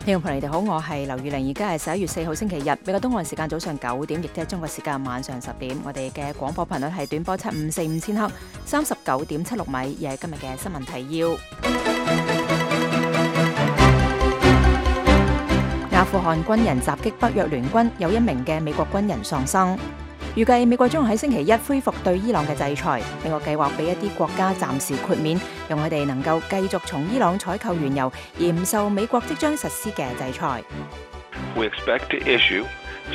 聽眾朋友你哋好，我係劉宇玲，而家係11月4號星期日，美國東岸時間早上9點，亦即係中國時間晚上10點。我哋嘅廣播頻率係短波7545千赫，39.76米，而係今日嘅新聞提要。阿富汗軍人襲擊北約聯軍，有1名嘅美國軍人喪生。預計美國將喺星期一恢復對伊朗嘅制裁，美國計劃俾一啲國家暫時豁免，讓佢哋能夠繼續從伊朗採購原油，而唔受美國即將實施嘅制裁。We expect to issue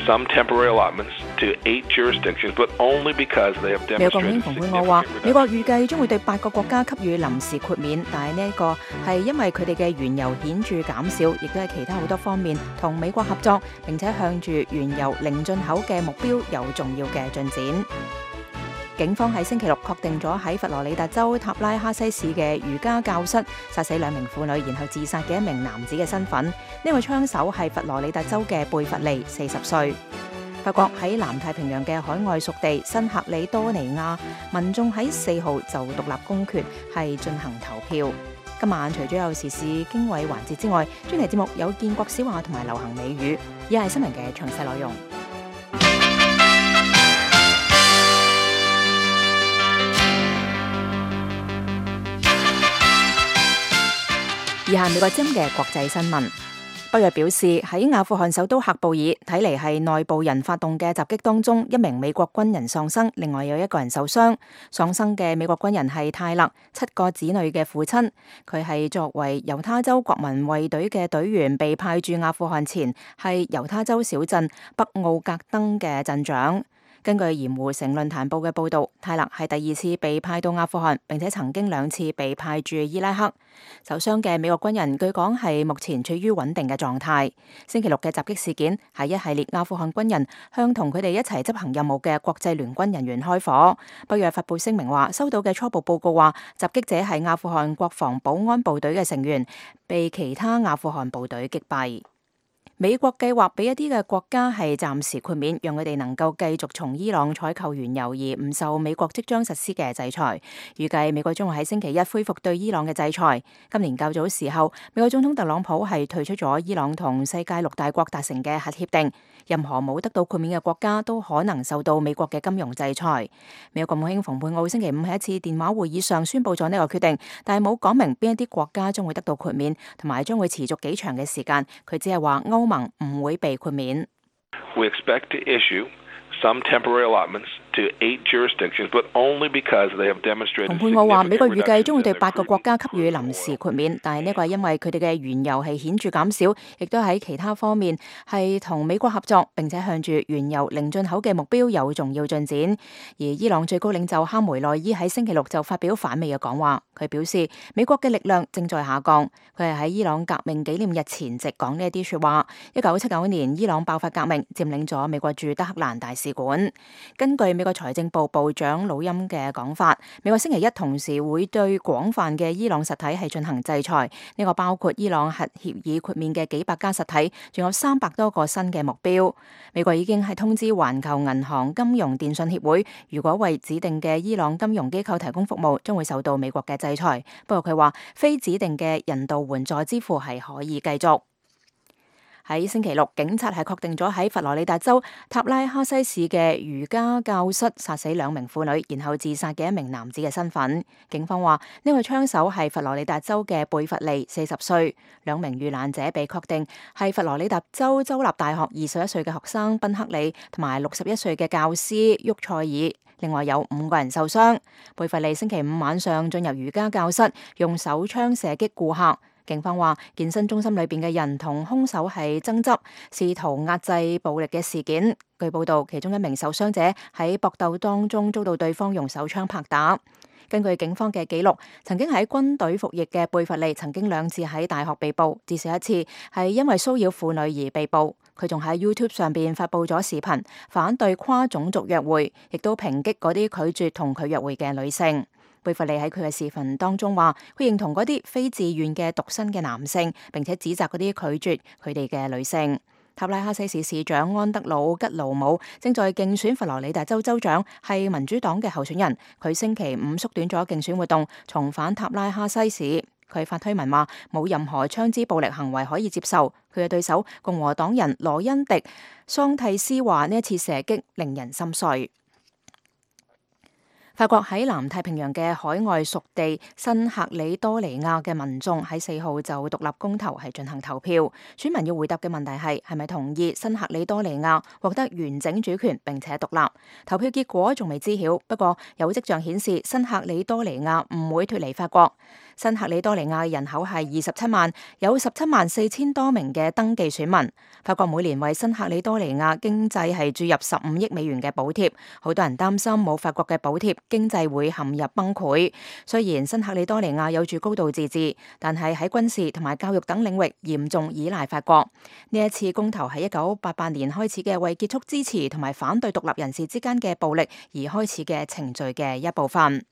some temporary allotments to 8 jurisdictions, but only because they have demonstrated. 美國國務卿蓬佩奧話，美國預計將會對8個國家給予臨時豁免，但係呢一個係因為佢哋嘅原油顯著減少，亦都係其他好多方面同美國合作，並且向住原油零進口嘅目標有重要嘅進展。警方喺星期六確定咗喺佛羅里達州塔拉哈西市嘅瑜伽教室殺死2名婦女，然後自殺嘅1名男子嘅身份。呢位槍手係佛羅里達州嘅貝弗利，40歲。法國喺南太平洋嘅海外屬地新克里多尼亞，民眾喺4號就獨立公決係進行投票。今晚除咗有時事經緯環節之外，專題節目有建國小話同埋流行美語，以下係新聞嘅詳細內容。以下美國之音嘅國際新聞。北約表示喺阿富汗首都喀布爾，睇嚟係內部人發動嘅襲擊當中，1名美國軍人喪生，另外有1個人受傷。喪生嘅美國軍人係泰勒，7個子女嘅父親。佢係作為猶他州國民衛隊嘅隊員，被派駐阿富汗前係猶他州小鎮北奧格登嘅鎮長。根據鹽湖城論壇報嘅報導，泰勒係第2次被派到阿富汗，並且曾經2次被派駐伊拉克。受傷嘅美國軍人據講係目前處於穩定嘅狀態。星期六嘅襲擊事件係一系列阿富汗軍人向同佢哋一齊執行任務嘅國際聯軍人員開火。北約發布聲明話，收到嘅初步報告話，襲擊者係阿富汗國防保安部隊嘅成員，被其他阿富汗部隊擊斃。美國計劃俾一啲嘅國家係暫時豁免，讓佢哋能夠繼續從伊朗採購原油，而唔受美國即將實施嘅制裁。預計美國將會喺星期一恢復對伊朗嘅制裁。今年較早時候，美國總統特朗普係退出咗伊朗同世界6大國達成嘅核協定，任何冇得到豁免嘅國家都可能受到美國嘅金融制裁。美國國務卿蓬佩奧星期5喺一次電話會議上宣布咗呢個決定，但係冇講明邊一啲國家將會得到豁免，同埋將會持續幾長嘅時間。佢只係話歐盟唔會被豁免。We expect to issue some temporary allotments to 8 jurisdictions, but only because they have demonstrated. 蓬佩奧話，美國預計將會對8個國家給予臨時豁免，但係呢個係因為佢哋嘅原油係顯著減少，亦都喺其他方面係同美國合作，並且向住原油零進口嘅目標有重要進展。而伊朗最高領袖哈梅內伊喺星期六就發表反美嘅講話，佢表示美國嘅力量正在下降。佢係喺伊朗革命紀念日前夕講呢一啲説話。1979年伊朗爆發革命，佔領咗美國駐德黑蘭大使館。根據美國財政部部長魯欽嘅講法，美國星期一同時會對廣泛嘅伊朗實體係進行制裁，呢個包括伊朗核協議豁免嘅幾百家實體，仲有300多個新嘅目標。美國已經係通知環球銀行金融電信協會，如果為指定嘅伊朗金融機構提供服務，將會受到美國嘅制裁。不過佢話，非指定嘅人道援助支付係可以繼續。喺星期六，警察係確定咗喺佛羅里達州塔拉哈西市嘅瑜伽教室殺死2名婦女，然後自殺嘅1名男子嘅身份。警方話呢位槍手係佛羅里達州嘅貝弗利，40歲。2名遇難者被確定係佛羅里達州州立大學21歲嘅學生賓克里同埋61歲嘅教師沃塞爾。另外有5個人受傷。貝弗利星期5晚上進入瑜伽教室，用手槍射擊顧客。警方話，健身中心裏邊嘅人同兇手係爭執，試圖壓制暴力嘅事件。據報道，其中1名受傷者喺搏鬥當中遭到對方用手槍拍打。根據警方嘅記錄，曾經喺軍隊服役嘅貝弗利曾經2次喺大學被捕，至少1次係因為騷擾婦女而被捕。佢仲喺 YouTube 上邊發布咗視頻，反對跨種族約會，亦都抨擊嗰啲拒絕同佢約會嘅女性。貝弗利喺佢嘅視頻當中話，佢認同嗰啲非自願嘅獨身嘅男性，並且指責嗰啲拒絕佢哋嘅女性。塔拉哈西市市長安德魯吉魯姆正在競選佛羅里達州州長，係民主黨嘅候選人。佢星期5縮短咗競選活動，重返塔拉哈西市。佢發推文話冇任何槍支暴力行為可以接受。佢嘅對手共和黨人羅恩迪桑蒂斯話呢一次射擊令人心碎。法國喺南太平洋嘅海外屬地新喀里多尼亞嘅民眾喺4號就獨立公投係進行投票，選民要回答嘅問題係咪同意新喀里多尼亞獲得完整主權並且獨立。投票結果仲未知曉，不過有跡象顯示新喀里多尼亞唔會脫離法國。新喀里多尼亞人口係27萬，有17萬4千多名嘅登記選民。法國每年為新喀里多尼亞經濟係注入15億美元嘅補貼，好多人擔心冇法國嘅補貼，經濟會陷入崩潰。雖然新喀里多尼亞有住高度自治，但係喺軍事同埋教育等領域嚴重依賴法國。呢一次公投係1988年開始嘅為結束支持同埋反對獨立人士之間嘅暴力而開始嘅程序嘅一部分。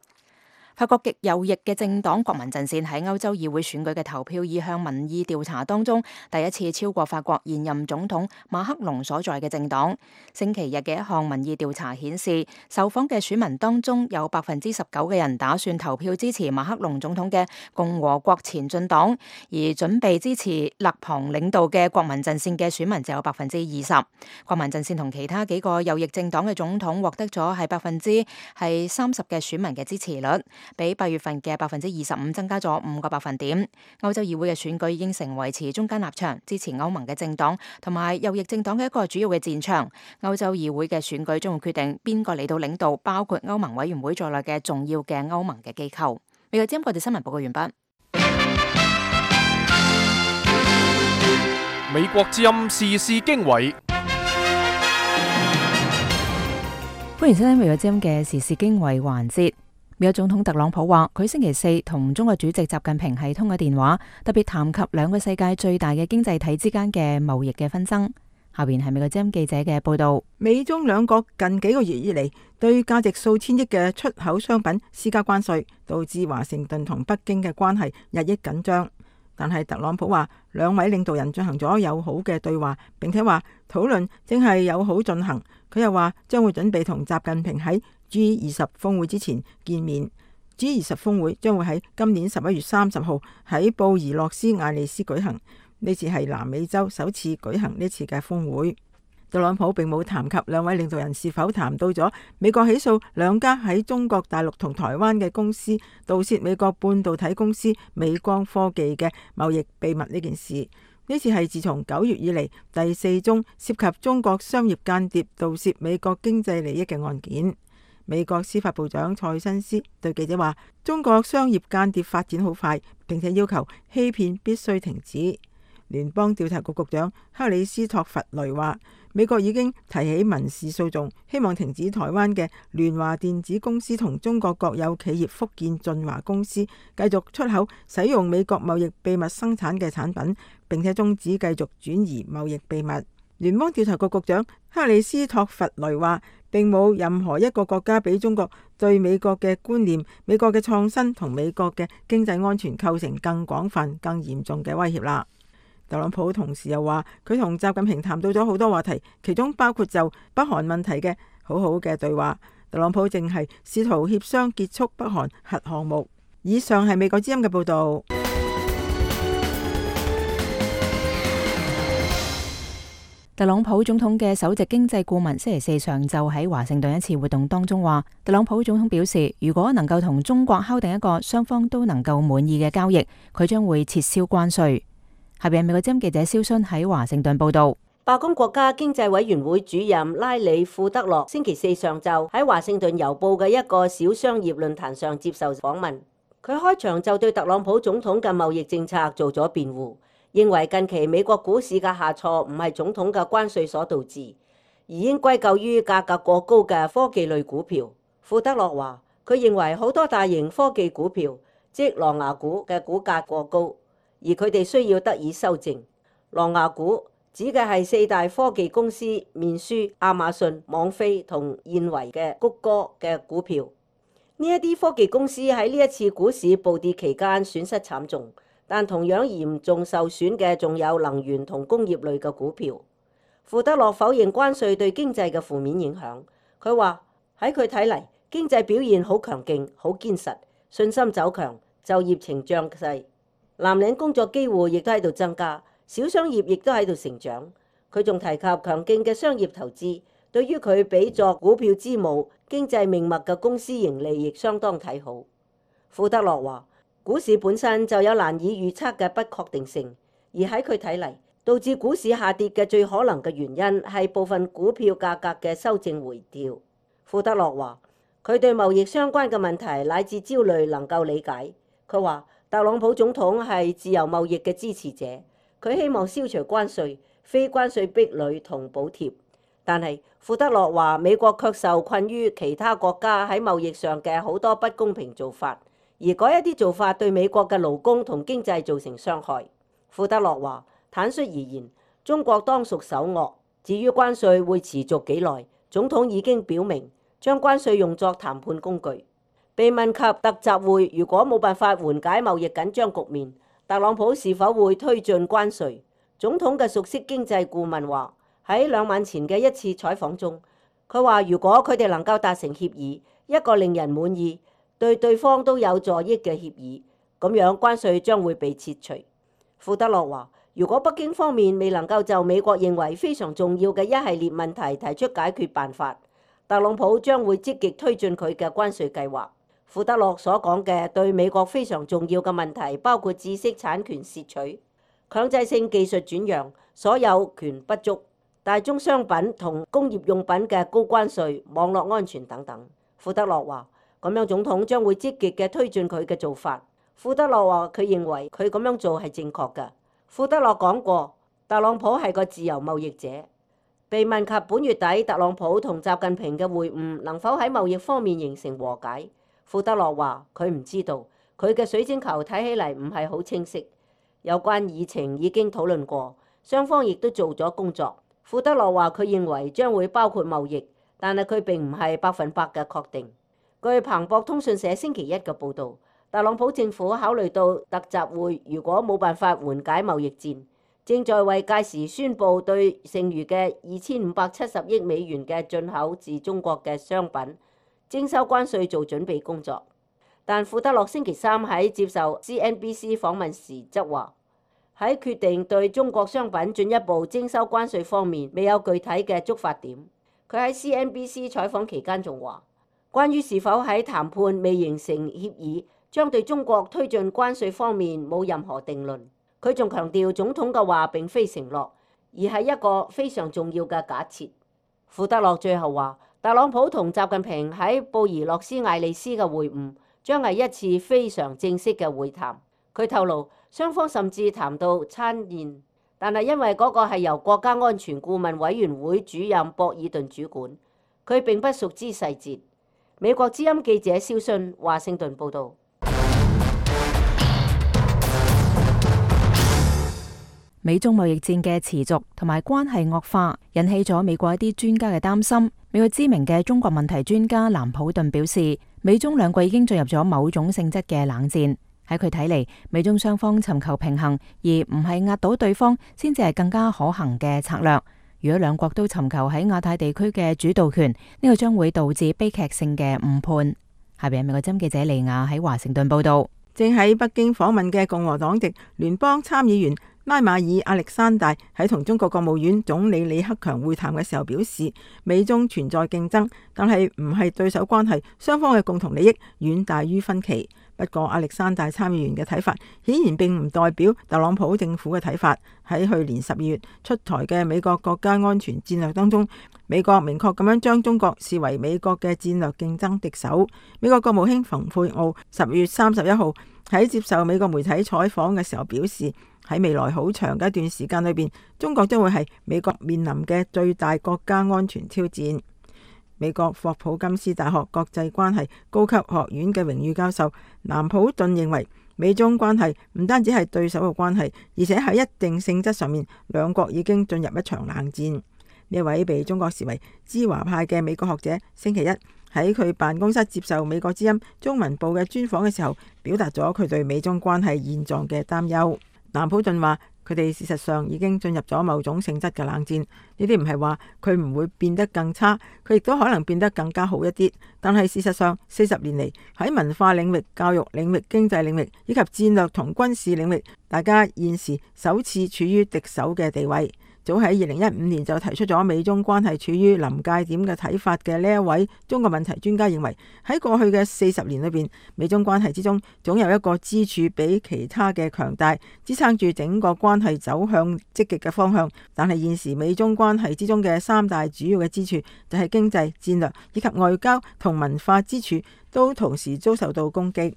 法國極右翼嘅政黨國民陣線喺歐洲議會選舉嘅投票意向民意調查當中，第一次超過法國現任總統馬克龍所在嘅政黨。星期日嘅一項民意調查顯示，受訪嘅選民當中有19%嘅人打算投票支持馬克龍總統嘅共和國前進黨，而準備支持勒龐領導嘅國民陣線嘅選民就有20%。國民陣線同其他幾個右翼政黨嘅總統獲得咗係30%嘅選民嘅支持率，比8月份嘅25%增加咗5個百分點。歐洲議會嘅選舉已經成為持中間立場、支持歐盟嘅政黨同埋右翼政黨嘅一個主要嘅戰場。歐洲議會嘅選舉將會決定邊個嚟到領導包括歐盟委員會在內嘅重要嘅歐盟嘅機構。美國之音國際新聞報告完畢。美國之音時事經緯。歡迎收聽美國之音嘅時事經緯環節。美國總統特朗普話，佢星期四同中國主席習近平係通咗電話，特別談及兩個世界最大嘅經濟體之間嘅貿易嘅紛爭。下邊係美國之音記者嘅報道。美中兩國近幾個月以嚟對價值數千億嘅出口商品施加關稅，導致華盛頓同北京嘅關係日益緊張。但係特朗普話，兩位領導人進行咗友好嘅對話，並且話討論正係友好進行。佢又話將會準備同習近平喺G20峰會之前見面。G20峰會將會喺今年11月30號喺布宜諾斯艾利斯舉行。呢次係南美洲首次舉行呢次嘅峰會。特朗普並冇談及兩位領導人是否談到咗美國起訴兩家喺中國大陸同台灣嘅公司盜竊美國半導體公司美光科技嘅貿易秘密呢件事。呢次係自從9月以嚟第4宗涉及中國商業間諜盜竊美國經濟利益嘅案件。美國司法部長塞申斯對記者話，中國商業間諜發展好快，並且要求欺騙必須停止。聯邦調查局局長克里斯托弗雷話，美國已經提起民事訴訟，希望停止台灣嘅聯華電子公司同中國國有企業福建晉華公司繼續出口使用美國貿易秘密生產嘅產品，並且終止繼續轉移貿易秘密。聯邦調查局局長克里斯托弗雷話，並冇任何一個國家比中國對美國嘅觀念、美國嘅創新同美國嘅經濟安全構成更廣泛、更嚴重嘅威脅啦。特朗普同時又話，佢同習近平談到咗好多話題，其中包括就北韓問題嘅好好嘅對話。特朗普正係試圖協商結束北韓核項目。以上係美國之音嘅報導。特朗普總統嘅首席經濟顧問星期四上晝喺華盛頓一次活動當中話，特朗普總統表示，如果能夠同中國敲定一個雙方都能夠滿意嘅交易，佢將會撤銷關稅。下邊美國之音記者蕭순喺華盛頓報道。白宮國家經濟委員會主任拉里庫德洛星期四上晝喺華盛頓郵報嘅一個小商業論壇上接受訪問，佢開場就對特朗普總統嘅貿易政策做咗辯護，認為近期美國股市嘅下挫唔係總統嘅關稅所導致，而應歸咎於價格過高嘅科技類股票。庫德洛話，佢認為好多大型科技股票，即狼牙股嘅股價過高，而佢哋需要得以修正。狼牙股指嘅係4大科技公司面書、亞馬遜、網飛同現維嘅谷歌嘅股票。呢一啲科技公司喺呢一次股市暴跌期間損失慘重，但同樣嚴重受損嘅仲有能源同工業類嘅股票。庫德洛否認關稅對經濟嘅負面影響。佢話喺佢睇嚟，經濟表現好強勁、好堅實，信心走強，就業呈漲勢。藍領工作機會亦都喺度增加，小商業亦都喺度成長。佢仲提及強勁嘅商業投資，對於佢比作股票之母、經濟命脈嘅公司盈利亦相當睇好。富德洛話：股市本身就有難以預測嘅不確定性，而喺佢睇嚟，導致股市下跌嘅最可能嘅原因係部分股票價格嘅修正回調。富德洛話：佢對貿易相關嘅問題乃至焦慮能夠理解。佢話特朗普總統係自由貿易嘅支持者，佢希望消除關稅、非關稅壁壘同補貼。但係富德洛話美國卻受困於其他國家喺貿易上嘅好多不公平做法，而嗰一啲做法對美國嘅勞工同經濟造成傷害。富德洛話：坦率而言，中國當屬首惡。至於關稅會持續幾耐，總統已經表明將關稅用作談判工具。被問及特集會如果冇辦法緩解貿易緊張局面，特朗普是否會推進關稅？總統嘅熟悉經濟顧問話，喺2晚前嘅一次採訪中，佢話如果佢哋能夠達成協議，一個令人滿意、對對方都有助益嘅協議，咁樣關稅將會被撤除。富德洛話：如果北京方面未能夠就美國認為非常重要嘅一系列問題提出解決辦法，特朗普將會積極推進佢嘅關稅計劃。富德洛所講嘅對美國非常重要嘅問題包括知識產權竊取、強制性技術轉讓、所有權不足、大宗商品同工業用品嘅高關稅、網絡安全等等。富德洛話：咁樣總統將會積極嘅推進佢嘅做法。富德洛話佢認為佢咁樣做係正確嘅。富德洛講過，特朗普係個自由貿易者。被問及本月底特朗普同習近平嘅會晤能否喺貿易方面形成和解，富德洛話佢唔知道，佢嘅水晶球睇起嚟唔係好清晰。有關議程已經討論過，雙方亦都做咗工作。富德洛話佢認為將會包括貿易，但係佢並唔係100%嘅確定。據彭博通訊社星期一嘅報導，特朗普政府考慮到特集會如果冇辦法緩解貿易戰，正在為屆時宣布對剩餘嘅2570億美元嘅進口自中國嘅商品徵收關稅做準備工作。但富德洛星期三喺接受 CNBC 訪問時則話，喺決定對中國商品進一步徵收關稅方面未有具體嘅觸發點。佢喺 CNBC 採訪期間仲話，關於是否喺談判未形成協議，將對中國推進關稅方面冇任何定論。佢仲強調總統嘅話並非承諾，而係一個非常重要嘅假設。富德洛最後話，特朗普同習近平喺布宜諾斯艾利斯嘅會晤將係一次非常正式嘅會談。佢透露雙方甚至談到餐宴，但係因為嗰個係由國家安全顧問委員會主任博爾頓主管，佢並不熟知細節。美國之音記者蕭信華盛頓報導。美中貿易戰嘅持續同埋關係惡化，引起咗美國一啲專家嘅擔心。美國知名嘅中國問題專家藍普頓表示，美中兩國已經進入咗某種性質嘅冷戰。喺佢睇嚟，美中雙方尋求平衡，而唔係壓倒對方，先至係更加可行嘅策略。如果兩國都尋求喺亞太地區嘅主導權，呢個將會導致悲劇性嘅誤判。下邊係美國之音記者利亞喺華盛頓報道。正喺北京訪問嘅共和黨籍聯邦參議員拉馬爾亞歷山大喺同中國國務院總理李克強會談嘅時候表示，美中存在競爭，但係唔係對手關係，雙方嘅共同利益遠大於分歧。不過亞歷山大參議員嘅睇法顯然並唔代表特朗普政府嘅睇法。喺去年12月出台嘅美國國家安全戰略當中，美國明確咁樣將中國視為美國嘅戰略競爭敵手。美國國務卿蓬佩奧10月31號喺接受美國媒體採訪嘅時候表示，喺未來好長嘅一段時間裏邊，中國將會係美國面臨嘅最大國家安全挑戰。美國霍普金斯大學國際關係高級學院嘅榮譽教授藍普頓認為，美中關係唔單止係對手嘅關係，而且喺一定性質上面，兩國已經進入一場冷戰。呢位被中國視為知華派嘅美國學者，星期一喺佢辦公室接受美國之音中文部嘅專訪嘅時候，表達咗佢對美中關係現狀嘅擔憂。藍普頓話，佢哋事實上已經進入咗某種性質嘅冷戰。呢啲唔係話佢唔會變得更差，佢亦都可能變得更加好一啲。但係事實上，40年嚟喺文化領域、教育領域、經濟領域以及戰略同軍事領域，大家現時首次處於敵手嘅地位。早喺2015年就提出咗美中關係處於臨界點嘅睇法嘅呢一位中國問題專家認為，喺過去嘅40年裏邊，美中關係之中總有一個支柱比其他嘅強大，支撐住整個關係走向積極嘅方向。但係現時美中關係之中嘅3大主要嘅支柱就係經濟、戰略以及外交同文化支柱，都同時遭受到攻擊。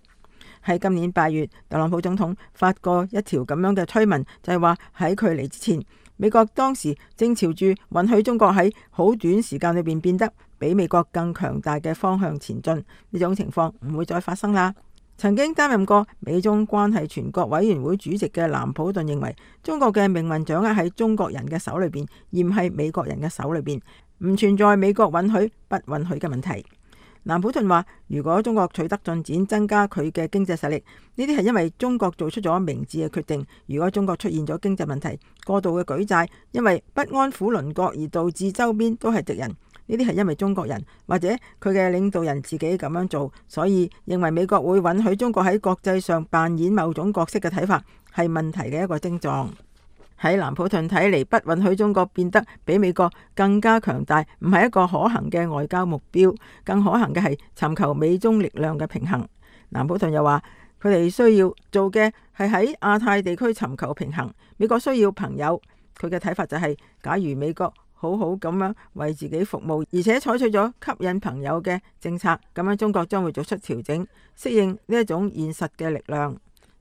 喺今年8月，特朗普總統發過一條咁樣嘅推文，就係話喺佢嚟之前，美國當時正朝住允許中國喺好短時間裏邊變得比美國更強大嘅方向前進。呢種情況唔會再發生啦。曾經擔任過美中關係全國委員會主席嘅藍普頓認為，中國嘅命運掌握喺中國人嘅手裏邊，而唔係美國人嘅手裏邊，唔存在美國允許不允許嘅問題。藍普頓話，如果中國取得進展，增加佢嘅經濟實力，呢啲係因為中國做出咗明智嘅決定。如果中國出現咗經濟問題，過度嘅舉債，因為不安撫鄰國而導致周邊都係敵人，呢啲係因為中國人或者佢嘅領導人自己咁樣做，所以認為美國會允許中國喺國際上扮演某種角色嘅睇法，係問題嘅一個徵狀。喺藍普頓睇嚟，不允許中國變得比美國更加強大，唔係一個可行嘅外交目標，更可行嘅係尋求美中力量嘅平衡。藍普頓又話，佢哋需要做嘅係喺亞太地區尋求平衡。美國需要朋友，佢嘅睇法就係，假如美國好好咁樣為自己服務，而且採取咗吸引朋友嘅政策，咁樣中國將會做出調整，適應呢一種現實嘅力量。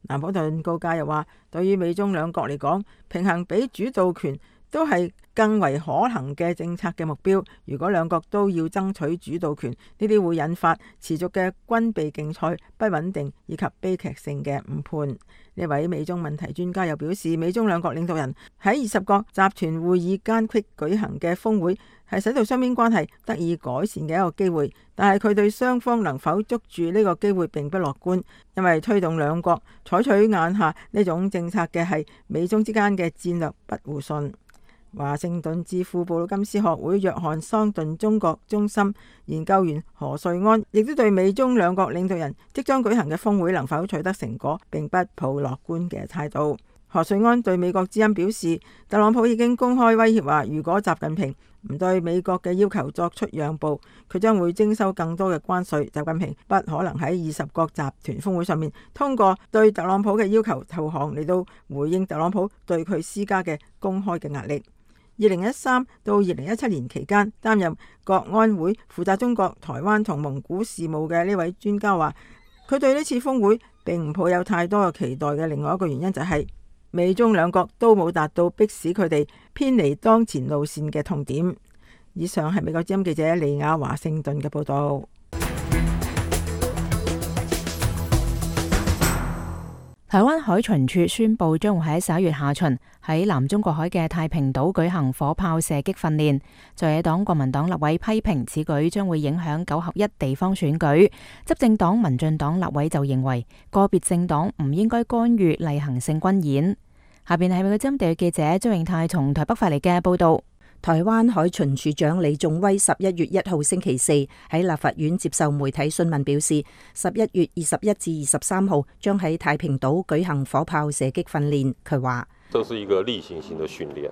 藍普頓告誡又話，對於美中兩國嚟講，平衡比主導權都係更為可能嘅政策嘅目標。如果兩國都要爭取主導權，呢啲會引發持續嘅軍備競賽、不穩定以及悲劇性嘅誤判。呢位美中問題專家又表示，美中兩國領導人喺20國集團會議間隙舉行嘅峰會，係使到雙邊關係得以改善嘅一個機會，但係佢對雙方能否捉住呢個機會並不樂觀，因為推動兩國採取眼下呢種政策嘅係美中之間嘅戰略不互信。華盛頓智庫布魯金斯學會約翰桑頓中國中心研究員何瑞安亦都對美中兩國領導人即將舉行嘅峰會能否取得成果並不抱樂觀嘅態度。何瑞安對美國之音表示，特朗普已經公開威脅話，如果習近平唔對美國嘅要求作出讓步，佢將會徵收更多嘅關稅。習近平不可能喺20國集團峰會上面通過對特朗普嘅要求投降嚟到回應特朗普對佢施加嘅公開嘅壓力。2013到2017年期間，擔任國安會負責中國、台灣同蒙古事務嘅呢位專家話，佢對呢次峰會並唔抱有太多嘅期待嘅另外一個原因就係美中兩國都冇達到迫使佢哋偏離當前路線嘅痛點。以上係美國之音記者利亞華盛頓嘅報道。台灣海巡署宣布將會喺11月下旬喺南中國海嘅太平島舉行火炮射擊訓練。在野黨國民黨立委批評此舉將會影響9合1地方選舉，執政黨民進黨立委就認為個別政黨唔應該干預例行性軍演。下邊係美國之音地記者張永泰從台北發嚟嘅報道。台灣海巡署長李仲威11月1號星期四喺立法院接受媒體詢問，表示11月21至23號將喺太平島舉行火炮射擊訓練。佢話：這是一個例行性的訓練，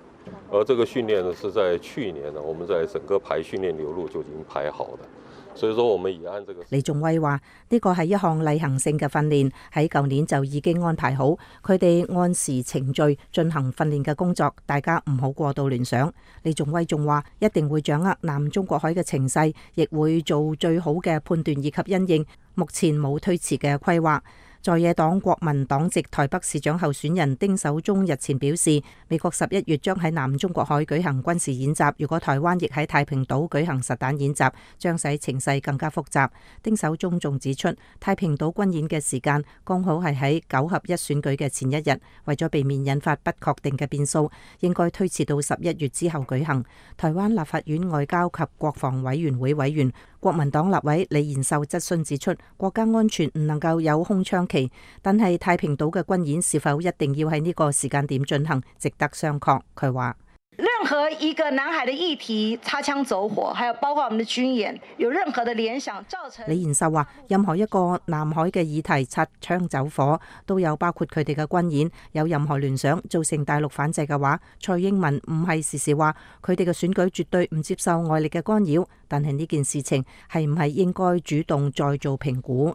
而這個訓練呢是在去年呢，我們在整個排訓練流露就已經排好的。所以說，我們已按這個。李仲威話：呢個係一項例行性嘅訓練，喺舊年就已經安排好，佢哋按時程序進行訓練嘅工作，大家唔好過度聯想。李仲威仲話：一定會掌握南中國海嘅情勢，亦會做最好嘅判斷以及因應，目前冇推遲嘅規劃。在野黨國民黨籍台北市長候選人丁守中日前表示，美國11月將喺南中國海舉行軍事演習，如果台灣亦喺太平島舉行實彈演習，將使情勢更加複雜。丁守中仲指出，太平島軍演嘅時間剛好係喺9合1選舉嘅前一日，為咗避免引發不確定嘅變數，應該推遲到11月之後舉行。台灣立法院外交及國防委員會委員國民黨立委李延壽質詢指出，國家安全唔能夠有空窗期，但係太平島嘅軍演是否一定要喺呢個時間點進行，值得商榷。佢話：任何一個南海的議題擦槍走火，還有包括我們的軍演，有任何的聯想造成。李延壽話：任何一個南海嘅議題擦槍走火，都有包括佢哋嘅軍演，有任何聯想造成大陸反制嘅話，蔡英文唔係時時話佢哋嘅選舉絕對唔接受外力嘅干擾，但係呢件事情係唔係應該主動再做評估？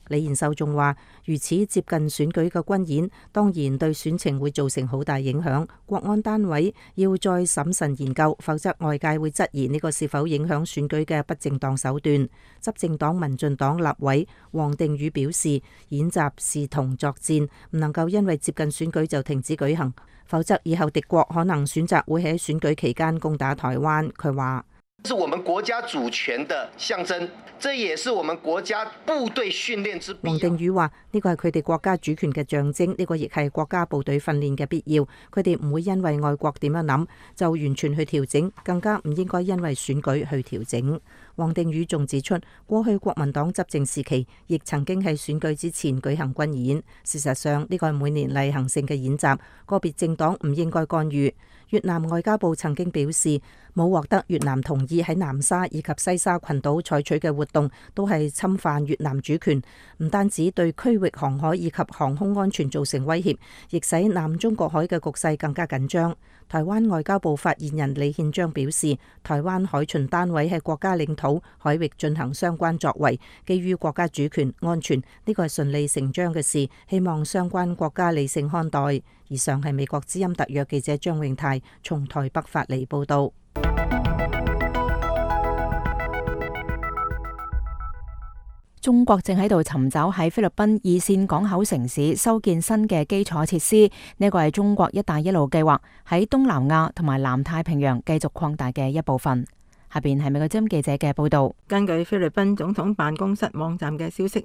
李延壽仲話：如此接近選舉嘅軍演，當然對選情會造成好大影響。國安單位要再審慎研究，否則外界會質疑呢個是否影響選舉嘅不正當手段。執政黨民進黨立委王定宇表示，演習視同作戰，唔能夠因為接近選舉就停止舉行，否則以後敵國可能選擇會喺選舉期間攻打台灣。佢話：是我們國家主權的象徵，這也是我們國家部隊訓練之必要。王定宇話：呢個係佢哋國家主權嘅象徵，呢個亦係國家部隊訓練嘅必要。佢哋唔會因為外國點樣諗就完全去調整，更加唔應該因為選舉去調整。王定宇仲指出，過去國民黨執政時期亦曾經喺選舉之前舉行軍演。事實上，呢個係每年例行性嘅演習，個別政黨唔應該干預。越南外交部曾經表示，冇獲得越南同意喺南沙以及西沙群島採取嘅活動都係侵犯越南主權，唔單止對區域航海以及航空安全造成威脅，亦使南中國海嘅局勢更加緊張。台灣外交部發言人李憲章表示，台灣海巡單位喺國家領土海域進行相關作為，基於國家主權安全，呢個係順理成章嘅事，希望相關國家理性看待。以上係美國之音特約記者張永泰從台北發嚟報道。中國正喺度尋找喺菲律賓二線港口城市修建新嘅基礎設施，呢個係中國一帶一路計劃喺東南亞同埋南太平洋繼續擴大嘅一部分。下邊係美國之音記者嘅報道。根據菲律賓總統辦公室網站嘅消息，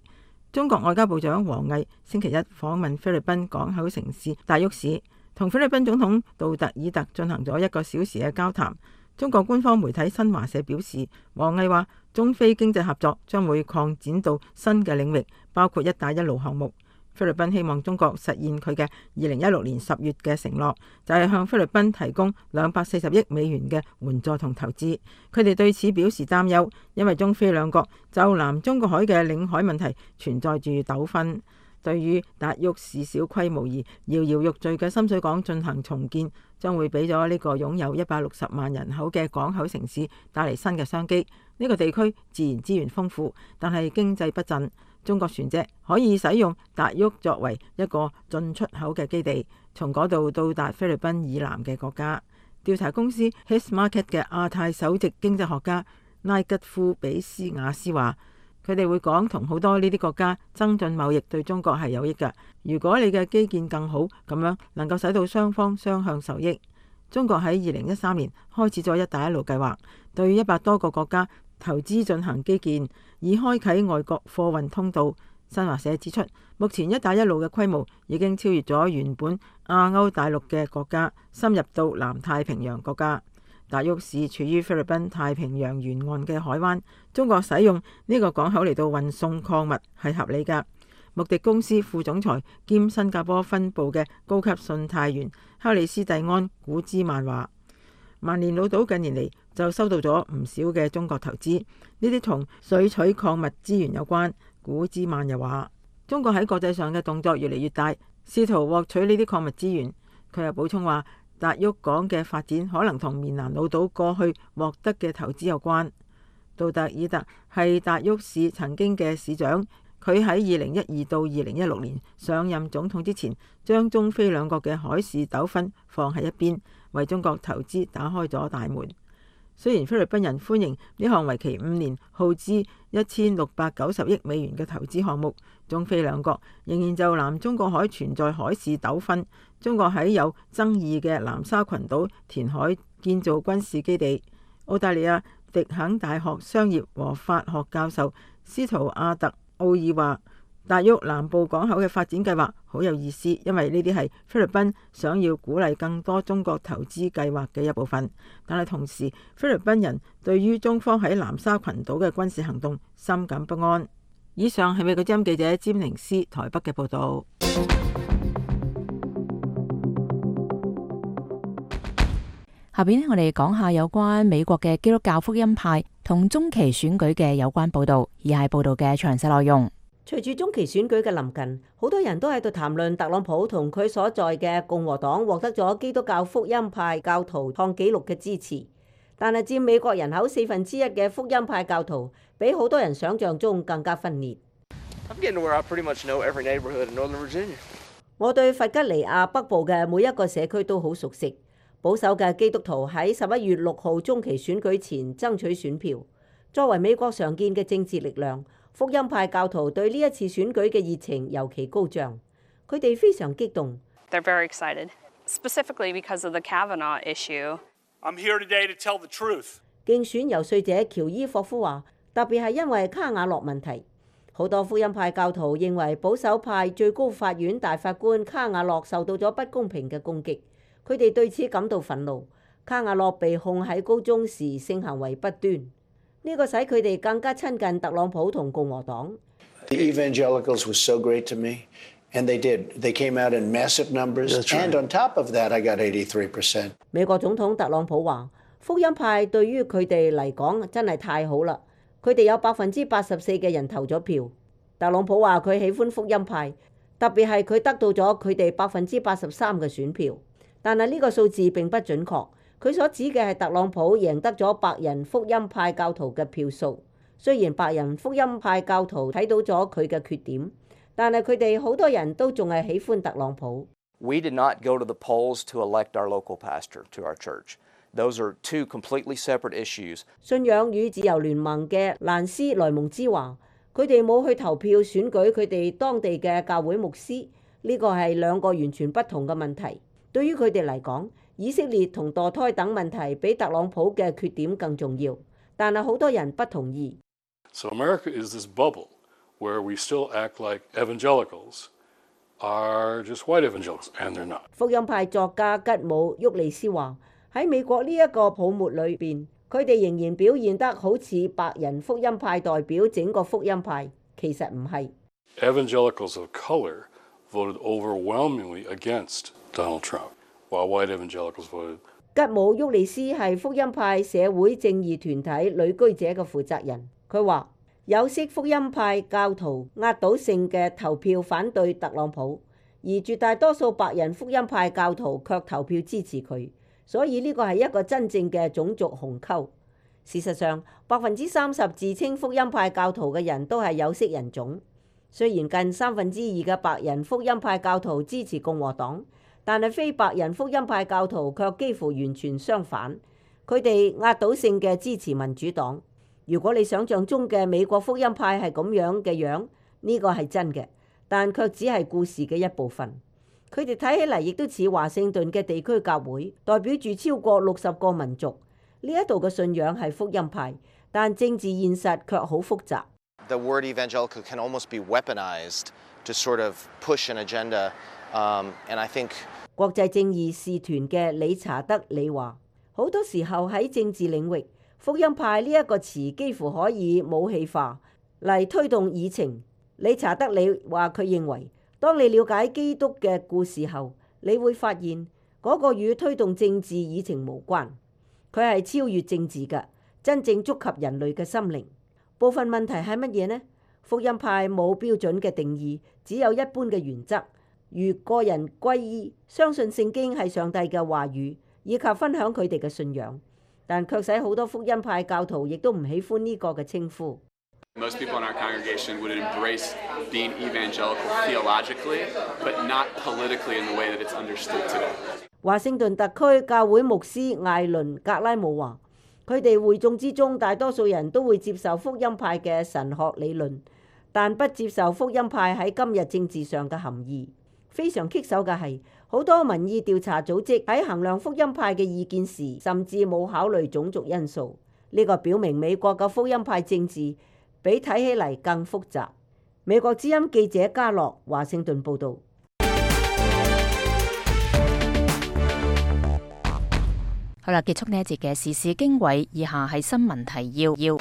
中國外交部長王毅星期一訪問菲律賓港口城市大沃市，同菲律賓總統杜特爾特進行咗1個小時嘅交談。中國官方媒體新華社表示，王毅話中菲經濟合作將會擴展到新嘅領域，包括一帶一路項目。菲律賓希望中國實現佢嘅2016年10月嘅承諾，就係向菲律賓提供240億美元嘅援助同投資。佢哋對此表示擔憂，因為中菲兩國就南中國海嘅領海問題存在住糾紛。對於達沃市小規模而搖搖欲墜嘅深水港進行重建，將會俾咗呢個擁有160萬人口嘅港口城市帶嚟新嘅商機。呢個地區自然資源豐富，但係經濟不振。中國船隻可以使用達沃作為一個進出口嘅基地，從嗰度到達菲律賓以南嘅國家。調查公司 His Market 嘅亞太首席經濟學家拉吉夫比斯亞斯話，佢哋會講同好多呢啲國家增進貿易對中國係有益㗎。如果你嘅基建更好，咁樣能夠使到雙方雙向受益。中國喺2013年開始咗一帶一路計劃，對100多個國家投資進行基建，以開啟外國貨運通道。新華社指出，目前一帶一路嘅規模已經超越咗原本亞歐大陸嘅國家，深入到南太平洋國家。達沃市處於菲律賓太平洋沿岸嘅海灣，中國使用呢個港口嚟到運送礦物係合理㗎。穆迪公司副總裁兼新加坡分部嘅高級信貸員克里斯蒂安古茲曼話，萬年老島近年嚟就收到咗唔少嘅中國投資，呢啲同水取礦物資源有關。古茲曼又話，中國喺國際上嘅動作越嚟越大，試圖獲取呢啲礦物資源。佢又補充話，達沃港嘅發展可能同棉蘭老島過去獲得嘅投資有關。杜特爾特係達沃市曾經嘅市長，佢喺2012到2016年上任總統之前，將中菲兩國嘅海事糾紛放喺一邊，為中國投資打開咗大門。雖然菲律賓人歡迎呢項為期5年、耗資1690億美元嘅投資項目，中菲兩國仍然就南中國海存在海事糾紛。中國喺有爭議嘅南沙群島填海建造軍事基地。澳大利亞迪肯大學商業和法學教授斯圖亞特奧爾話，達沃南部港口嘅發展計劃好有意思，因為呢啲係菲律賓想要鼓勵更多中國投資計劃嘅一部分。但係同時，菲律賓人對於中方喺南沙群島嘅軍事行動深感不安。以上係美國之音記者詹寧斯台北嘅報導。下邊我哋講下有關美國嘅基督教福音派同中期選舉嘅有關報導，以下係報導嘅詳細內容。隨住中期選舉嘅臨近，好多人都喺度談論特朗普同佢所在嘅共和黨獲得咗基督教福音派教徒創紀錄嘅支持。但係佔美國人口1/4嘅福音派教徒，比好多人想象中更加分裂。我對弗吉尼亞北部嘅每一個社區都好熟悉。保守嘅基督徒喺11月6號中期選舉前爭取選票。作為美國常見嘅政治力量，福音派教徒對呢一次選舉嘅熱情尤其高漲。佢哋非常激動。They're very excited, specifically because of the Kavanaugh issue. I'm here today to tell the truth. 競選遊說者喬伊霍夫話，特別係因為卡瓦諾問題，好多福音派教徒認為保守派最高法院大法官卡瓦諾受到咗不公平嘅攻擊。佢哋對此感到憤怒。卡瓦諾被控喺高中時性行為不端，呢個使佢哋更加親近特朗普同共和黨。The evangelicals were so great to me, and they did. They came out in massive numbers, and on top of that, I got 83%. 美國總統特朗普話：福音派對於佢哋嚟講真係太好啦，佢哋有84%嘅人投咗票。特朗普話佢喜歡福音派，特別係佢得到咗佢哋83%嘅選票。但係呢個數字並不準確，佢所指嘅係特朗普贏得咗白人福音派教徒嘅票數。雖然白人福音派教徒睇到咗佢嘅缺點，但係佢哋好多人都仲係喜歡特朗普。We did not go to the polls to elect our local pastor to our church. Those are two completely separate issues. 信仰與自由聯盟嘅蘭斯萊蒙茲話：佢哋冇去投票選舉佢哋當地嘅教會牧師，呢個係兩個完全不同嘅問題。對於佢哋嚟講，以色列同墮胎等問題比特朗普嘅缺點更重要，但係好多人不同意。So America is this bubble where we still act like evangelicals are just white evangelicals, and they're not. 福音派作家吉姆·沃利斯話：喺美國呢一個泡沫裏邊，佢哋仍然表現得好似白人福音派代表整個福音派，其實唔係。Evangelicals of color voted overwhelmingly against Donald Trump, while white evangelicals voted. 吉姆·沃利斯係福音派社會正義團體旅居者嘅負責人，佢話有色福音派教徒壓倒性嘅投票反對特朗普，而絕大多數白人福音派教徒卻投票支持佢，所以呢個係一個真正嘅種族鴻溝。事實上，30%自稱福音派教徒嘅人都係有色人種。雖然近2/3嘅白人福音派教徒支持共和黨，但係非白人福音派教徒卻幾乎完全相反，佢哋壓倒性嘅支持民主黨。如果你想象中嘅美國福音派係咁樣嘅樣，呢個係真嘅，但卻只係故事嘅一部分。佢哋睇起嚟亦都似華盛頓嘅地區教會，代表住超過60個民族。呢一度嘅信仰係福音派，但政治現實卻好複雜。The word evangelical can almost be weaponized to sort of push an agenda, and I think 國際正義使團嘅理查德里話：好多時候喺政治領域，福音派呢一個詞幾乎可以武器化嚟推動議程。理查德里話佢認為，當你了解基督嘅故事後，你會發現嗰個與推動政治議程無關，佢係超越政治嘅，真正觸及人類嘅心靈。部分問題係乜嘢呢？福音派冇標準嘅定義，只有一般嘅原則，如個人歸依、相信聖經係上帝嘅話語，以及分享佢哋嘅信仰。但卻使好多福音派教徒亦都唔喜歡呢個嘅稱呼。Most people in our congregation would embrace being evangelical theologically, but not politically in the way that it's understood today. 華盛頓特區教會牧師艾倫格拉姆話：佢哋會眾之中，大多數人都會接受福音派嘅神學理論，但不接受福音派喺今日政治上嘅含義。非常棘手嘅係，好多民意調查組織喺衡量福音派嘅意見時，甚至冇考慮種族因素。呢個表明美國嘅福音派政治比睇起嚟更複雜。美國之音記者嘉樂華盛頓報導。好啦，結束呢一節嘅時事經緯，以下係新聞提要。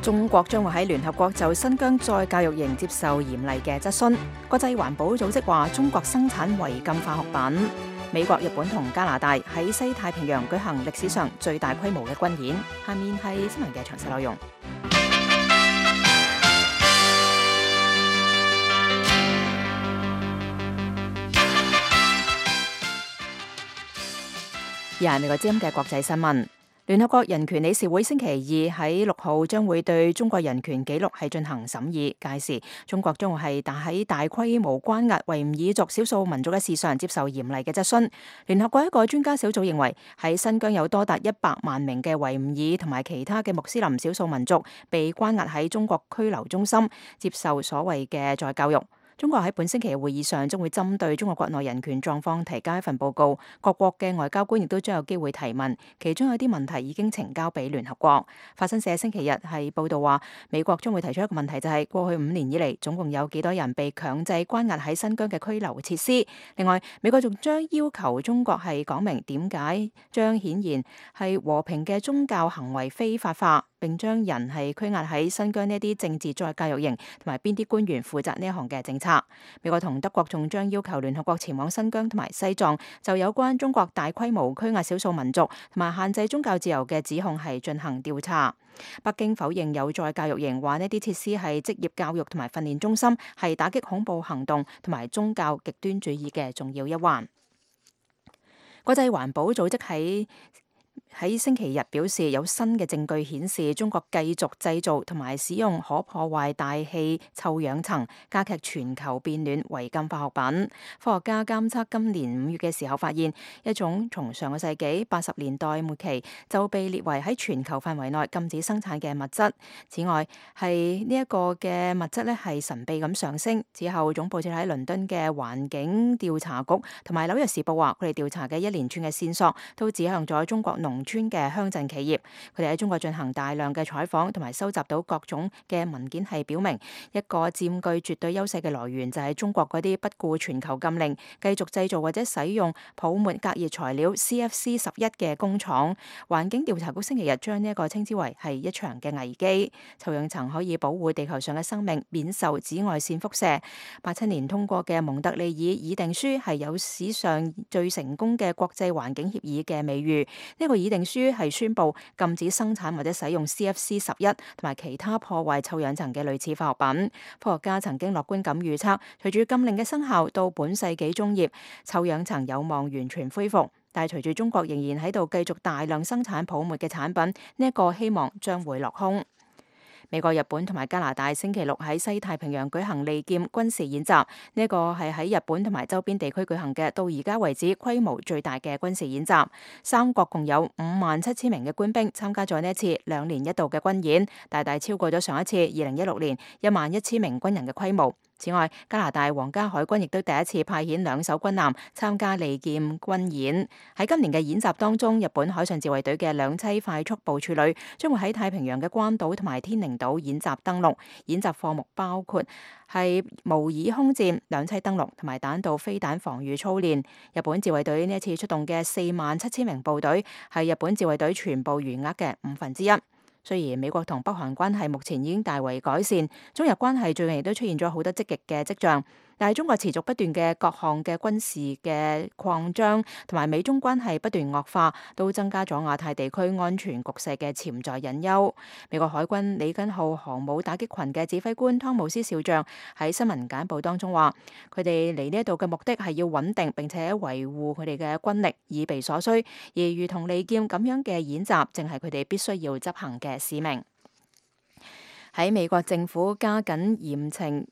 中國將會喺聯合國就新疆再教育營接受嚴厲嘅質詢。國際環保組織話中國生產違禁化學品。美國、日本同加拿大喺西太平洋舉行歷史上最大規模嘅軍演。下面係新聞嘅詳細內容。而係美國之音嘅國際新聞。聯合國人權理事會星期二喺6號將會對中國人權紀錄係進行審議，屆時中國將會係喺大規模關押維吾爾族少數民族嘅事上接受嚴厲嘅質詢。聯合國一個專家小組認為，喺新疆有多達100萬名嘅維吾爾同埋其他嘅穆斯林少數民族被關押喺中國拘留中心，接受所謂嘅再教育。中國喺本星期嘅會議上將會針對中國國內人權狀況提交一份報告，各國嘅外交官亦都將有機會提問，其中有啲問題已經呈交俾聯合國。法新社星期日係報道話，美國將會提出一個問題，就係過去5年以嚟總共有幾多人被強制關押喺新疆嘅拘留設施。另外，美國仲將要求中國係講明點解將顯然係和平嘅宗教行為非法化，並將人係拘押喺新疆呢啲政治再教育營，同埋邊啲官員負責呢一項嘅政策。美國同德國仲將要求聯合國前往新疆同埋西藏，就有關中國大規模拘押少數民族同埋限制宗教自由嘅指控係進行調查。北京否認有再教育營，話呢啲設施係職業教育同埋訓練中心，係打擊恐怖行動同埋宗教極端主義嘅重要一環。國際環保組織喺星期日表示，有新嘅證據顯示中國繼續製造同埋使用可破壞大氣臭氧層、加劇全球變暖違禁化學品。科學家監測今年5月嘅時候發現，一種從上個世紀80年代末期就被列為喺全球範圍內禁止生產嘅物質。此外，係呢一個嘅物質咧係神秘咁上升。之後總部設喺倫敦嘅環境調查局同埋紐約時報話，佢哋調查嘅一連串嘅線索都指向咗中國農村嘅鄉鎮企業，佢哋喺中國進行大量嘅採訪，同埋收集到各種嘅文件，係表明一個佔據絕對優勢嘅來源就係中國嗰啲不顧全球禁令，繼續製造或者使用泡沫隔熱材料 CFC11嘅工廠。環境調查局星期日將呢一個稱之為係一場嘅危機。臭氧層可以保護地球上嘅生命免受紫外線輻射。87年通過嘅蒙特利爾議定書係有史上最成功嘅國際環境協議嘅美譽。呢個議定書係宣布禁止生產或者使用 CFC11 同埋其他破壞臭氧層嘅類似化學品。科學家曾經樂觀咁預測，隨住禁令嘅生效，到本世紀中葉，臭氧層有望完全恢復。但係隨住中國仍然喺度繼續大量生產泡沫嘅產品，呢一個希望將會落空。美國、日本同埋加拿大星期六喺西太平洋舉行利劍軍事演習，呢一個係喺日本同埋周邊地區舉行嘅到而家為止規模最大嘅軍事演習。三國共有57,000名嘅官兵參加咗呢一次2年一度嘅軍演，大大超過咗上一次2016年11,000名軍人嘅規模。此外，加拿大皇家海軍亦都第一次派遣2艘軍艦參加利劍軍演。喺今年嘅演習當中，日本海上自衛隊嘅2棲快速部署旅將會喺太平洋嘅關島同埋天寧島演習登陸。演習項目包括係模擬空戰、2棲登陸同埋彈道飛彈防禦操練。日本自衛隊呢一次出動嘅47,000名部隊係日本自衛隊全部員額嘅1/5。雖然美國同北韓關係目前已經大為改善，中日關係最近亦都出現咗好多積極嘅跡象，但係中國持續不斷嘅各項嘅軍事嘅擴張，同埋美中關係不斷惡化，都增加咗亞太地區安全局勢嘅潛在隱憂。美國海軍里根號航母打擊群嘅指揮官湯姆斯少將喺新聞簡報當中話，佢哋嚟呢一度嘅目的係要穩定並且維護佢哋嘅軍力以備所需，而如同利劍咁樣嘅演習，正係佢哋必須要執行嘅使命。喺美國政府加緊嚴懲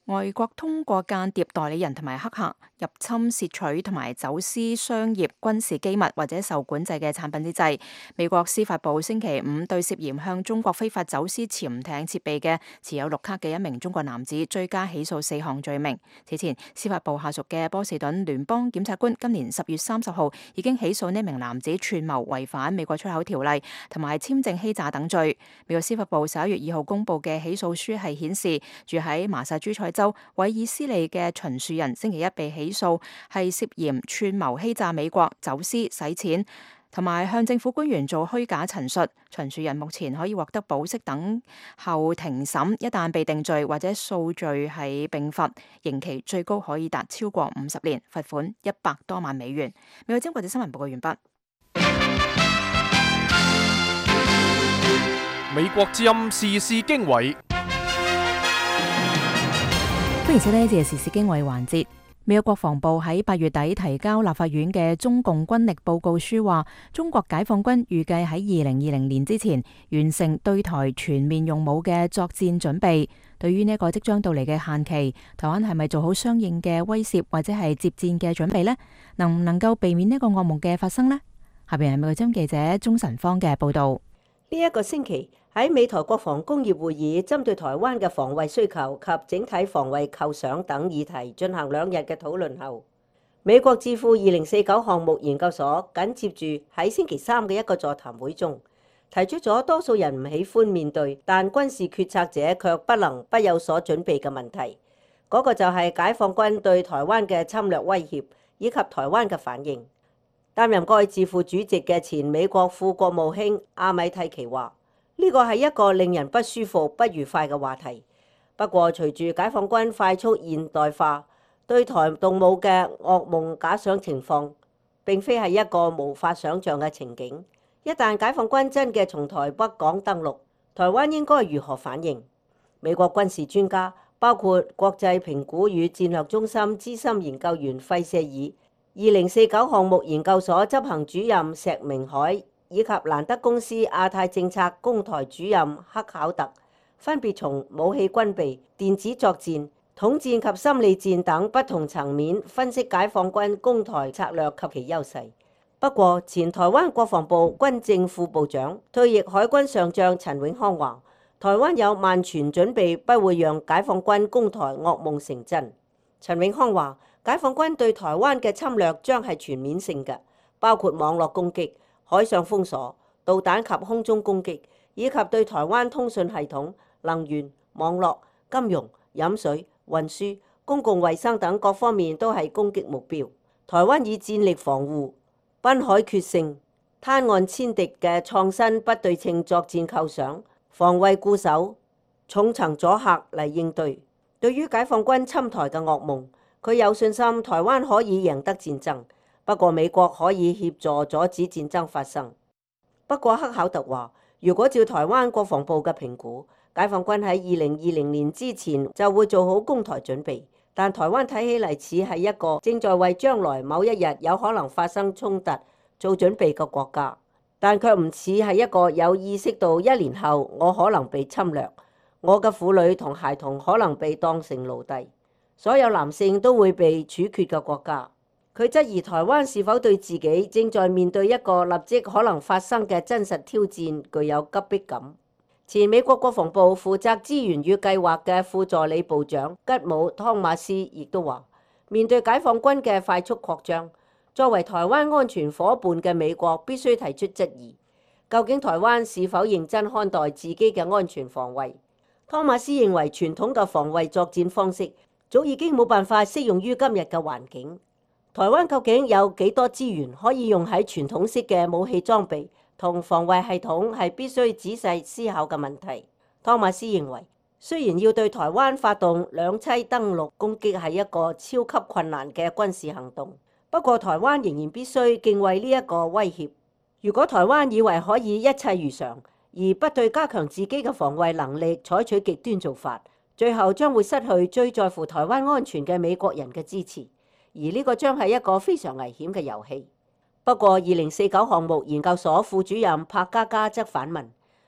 外國通過間諜代理人同埋黑客入侵竊取同埋走私商業軍事機密或者受管制嘅產品之際，美國司法部星期五對涉嫌向中國非法走私潛艇設備嘅持有綠卡嘅一名中國男子追加起訴4項罪名。此前，司法部下屬嘅波士頓聯邦檢察官今年10月30號已經起訴呢名男子串謀違反美國出口條例同埋簽證欺詐等罪。美國司法部11月2號公布嘅起訴書係顯示，住喺麻薩諸塞州韋爾斯利嘅秦樹人星期一被起訴，係涉嫌串謀欺詐美國、走私、洗錢同埋向政府官員做虛假陳述。秦樹人目前可以獲得保釋等候庭審，一旦被定罪或者數罪係併罰，刑期最高可以達超過50年，罰款100多萬美元。美國之音國際新聞報告完畢。美國之音時事經緯。歡迎收聽呢節時事經緯環節。美國國防部喺8月底提交立法院嘅中共軍力報告書話，中國解放軍預計喺2020年之前完成對台全面用武嘅作戰準備。對於呢個即將到嚟嘅限期，台灣係咪做好相應嘅威懾或者係接戰嘅準備呢？能唔能夠避免呢個噩夢嘅發生呢？下邊係美國之音記者鍾晨芳嘅報道。呢一個星期喺美台國防工業會議，針對台灣嘅防衛需求及整體防衛構想等議題進行2日嘅討論後，美國智庫2049項目研究所緊接住喺星期3嘅一個座談會中，提出咗多數人唔喜歡面對，但軍事決策者卻不能不有所準備嘅問題。嗰個就係解放軍對台灣嘅侵略威脅以及台灣嘅反應。擔任該智庫主席嘅前美國副國務卿阿米蒂奇話：呢個係一個令人不舒服、不愉快嘅話題。不過，隨住解放軍快速現代化，對台動武嘅噩夢假想情況並非係一個無法想像嘅情景。一旦解放軍真嘅從台北港登陸，台灣應該如何反應？美國軍事專家包括國際評估與戰略中心資深研究員費舍爾、2049項目研究所執行主任石明海以及蘭德公司亞太政策攻台主任克考特，分別從武器軍備、電子作戰、統戰及心理戰等不同層面分析解放軍攻台策略及其優勢。不過，前台灣國防部軍政副部長、退役海軍上將陳永康話：台灣有萬全準備，不會讓解放軍攻台噩夢成真。陳永康話：解放軍對台灣嘅侵略將係全面性嘅，包括網絡攻擊、海上封鎖、導彈及空中攻擊，以及對台灣通訊系統、能源、網絡、金融、飲水、運輸、公共衛生等各方面都係攻擊目標。台灣以戰力防護、濱海決勝、灘岸殲敵嘅創新不對稱作戰構想、防衛固守、重層阻嚇嚟應對。對於解放軍侵台嘅噩夢，佢有信心台灣可以贏得戰爭，不過美國可以協助阻止戰爭發生。不過克考特話，如果照台灣國防部嘅評估，解放軍喺2020年之前就會做好攻台準備，但台灣睇起嚟似係一個正在為將來某一日有可能發生衝突做準備嘅國家，但卻唔似係一個有意識到1年後我可能被侵略，我嘅婦女同孩童可能被當成奴隸，所有男性都會被處決嘅國家。佢質疑台灣是否對自己正在面對一個立即可能發生嘅真實挑戰具有急迫感。前美國國防部負責資源與計劃嘅副助理部長吉姆·湯馬斯亦都話，面對解放軍嘅快速擴張，作為台灣安全夥伴嘅美國必須提出質疑，究竟台灣是否認真看待自己嘅安全防衛？湯馬斯認為傳統嘅防衛作戰方式早已經冇辦法適用於今日嘅環境。台灣究竟有幾多資源可以用喺傳統式嘅武器裝備同防衛系統，係必須仔細思考嘅問題。湯馬斯認為，雖然要對台灣發動兩棲登陸攻擊係一個超級困難嘅軍事行動，不過台灣仍然必須敬畏呢一個威脅。如果台灣以為可以一切如常，而不對加強自己嘅防衛能力採取極端做法，最後將會失去最在乎台灣安全嘅美國人嘅支持，而呢個將係一個非常危險嘅遊戲。不過2049項目研究所副主任柏嘉嘉則反問，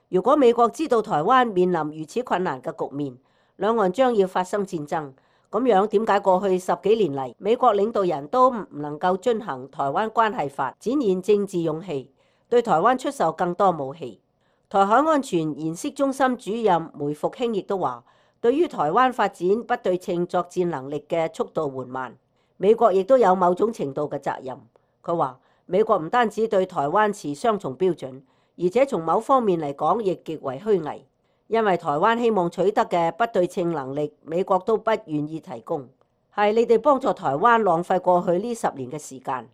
如果美國知道台灣面臨如此困難嘅局面，兩岸將要發生戰爭，咁樣點解過去10幾年嚟，美國領導人都唔能夠遵行台灣關係法，展現政治勇氣，對台灣出售更多武器？台海安全研析中心主任梅復興亦都話，對於台灣發展不對稱作戰能力嘅速度緩慢，美國亦都有某種程度嘅責任。佢話美國唔單止對台灣持雙重標準，而且從某方面嚟講亦極為虛偽。因為台灣希望取得嘅不對稱能力，美國都不願意提供，係你哋幫助台灣浪費過去呢10年嘅時間。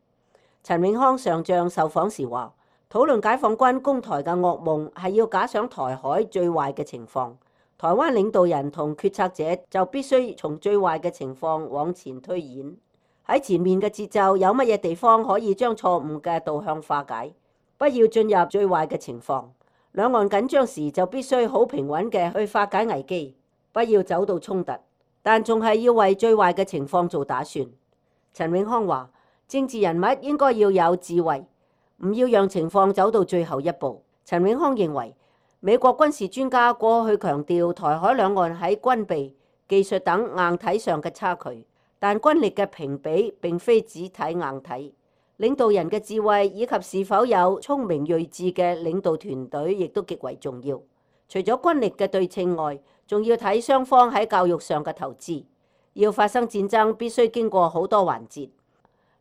陳永康上將受訪時話，討論解放軍攻台嘅噩夢係要假想台海最壞嘅情況，台灣領導人同決策者就必須從最壞嘅情況往前推演，喺前面嘅節奏有乜嘢地方可以將錯誤嘅導向化解，不要進入最壞嘅情況。兩岸緊張時就必須好平穩嘅去化解危機，不要走到衝突，但仲係要為最壞嘅情況做打算。陳永康話，政治人物應該要有智慧，唔要讓情況走到最後一步。陳永康認為，美國軍事專家過去強調台海兩岸喺軍備、技術等硬體上嘅差距，但軍力嘅評比並非只睇硬體。領導人嘅智慧以及是否有聰明睿智嘅領導團隊，亦都極為重要。除咗軍力嘅對稱外，仲要睇雙方喺教育上嘅投資。要發生戰爭，必須經過好多環節。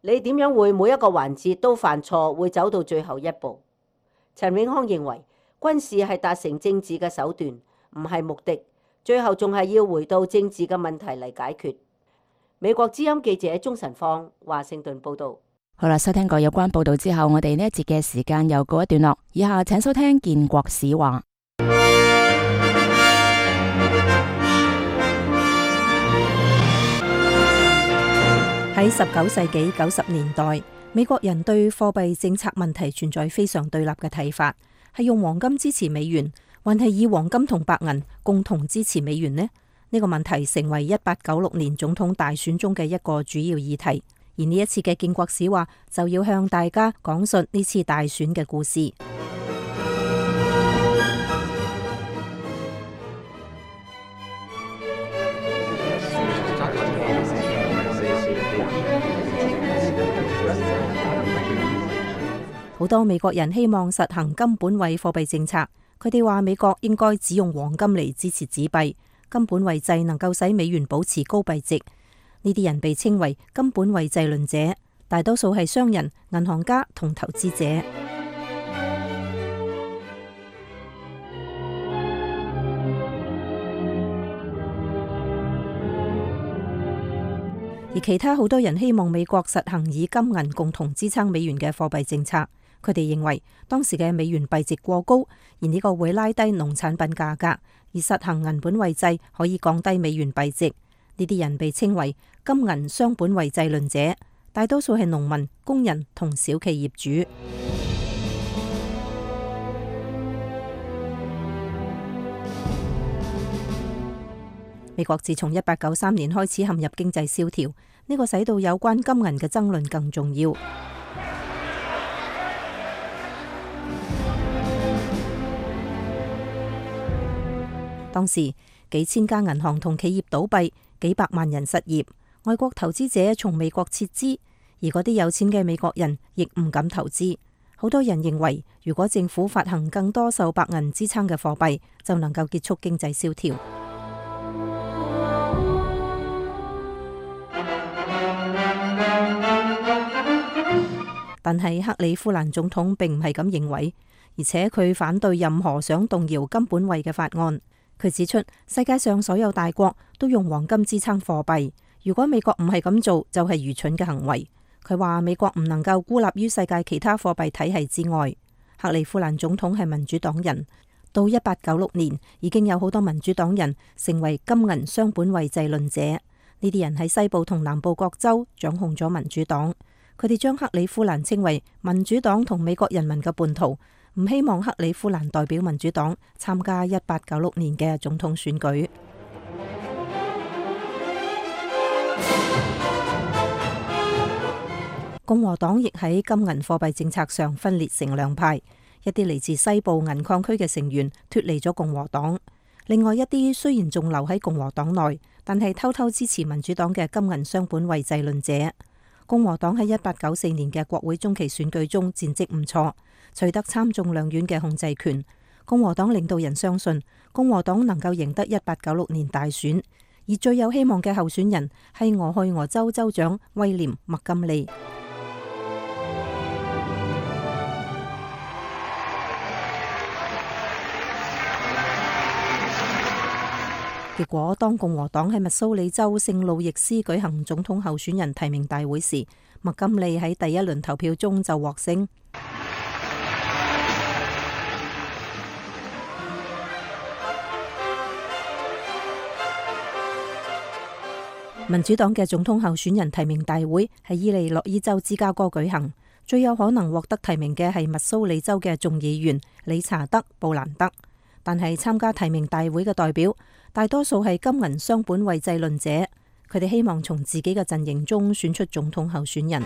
你點樣會每一個環節都犯錯，會走到最後一步？陳永康認為，軍事係達成政治嘅手段，唔係目的。最後仲係要回到政治嘅問題嚟解決。美國之音記者鍾晨芳，華盛頓報導。好啦，收聽過有關報道之後，我哋呢一節嘅時間又告一段落。以下請收聽建國史話。喺19世紀90年代，美國人對貨幣政策問題存在非常對立嘅睇法，係用黃金支持美元，還係以黃金同白銀共同支持美元呢？呢個問題成為1896年總統大選中嘅一個主要議題。而呢一次嘅建國史話就要向大家講述呢次大選嘅故事。好多美國人希望實行金本位貨幣政策，佢哋話美國應該只用黃金嚟支持紙幣，金本位制能夠使美元保持高幣值。呢啲人被稱為金本位制論者，大多數係商人、銀行家同投資者。而其他好多人希望美國實行以金銀共同支撐美元嘅貨幣政策。佢哋認為當時嘅美元幣值過高，而呢個會拉低農產品價格，而實行銀本位制可以降低美元幣值。呢啲人被稱為金銀雙本位制論者，大多數係農民、工人同小企業主。美國自從1893年開始陷入經濟蕭條，呢個使到有關金銀嘅爭論更重要。當時幾千家銀行同企業倒閉，幾百萬人失業，外國投資者從美國撤資，而嗰啲有錢嘅美國人亦唔敢投資。好多人認為，如果政府發行更多受白銀支撐嘅貨幣，就能夠結束經濟蕭條。但係克里夫蘭總統並唔係咁認為，而且佢反對任何想動搖金本位嘅法案。佢指出，世界上所有大國都用黃金支撐貨幣，如果美國唔係咁做，就係愚蠢嘅行為。佢話美國唔能夠孤立於世界其他貨幣體系之外。克里夫蘭總統係民主黨人，到1896年已經有好多民主黨人成為金銀雙本位制論者。呢啲人喺西部同南部各州掌控咗民主黨，佢哋將克里夫蘭稱為民主黨同美國人民嘅叛徒，唔希望克里夫蘭代表民主黨參加1896年嘅總統選舉。共和黨亦喺金銀貨幣政策上分裂成兩派，一啲嚟自西部銀礦區嘅成員脫離咗共和黨，另外一啲雖然仲留喺共和黨內，但係偷偷支持民主黨嘅金銀雙本位制論者。共和黨喺1894年嘅國會中期選舉中戰績唔錯，取得參眾兩院嘅控制權。共和黨領導人相信共和黨能夠贏得1896年大選，而最有希望嘅候選人係俄亥俄州州長威廉·麥金利。結果，當共和黨喺密蘇里州聖路易斯舉行總統候選人提名大會時，麥金利喺第一輪投票中就獲勝。民主黨嘅總統候選人提名大會喺伊利諾伊州芝加哥舉行，最有可能獲得提名嘅係密蘇里州嘅眾議員理查德·布蘭德，但係參加提名大會嘅代表大多數係金銀雙本位制論者，佢哋希望從自己嘅陣營中選出總統候選人。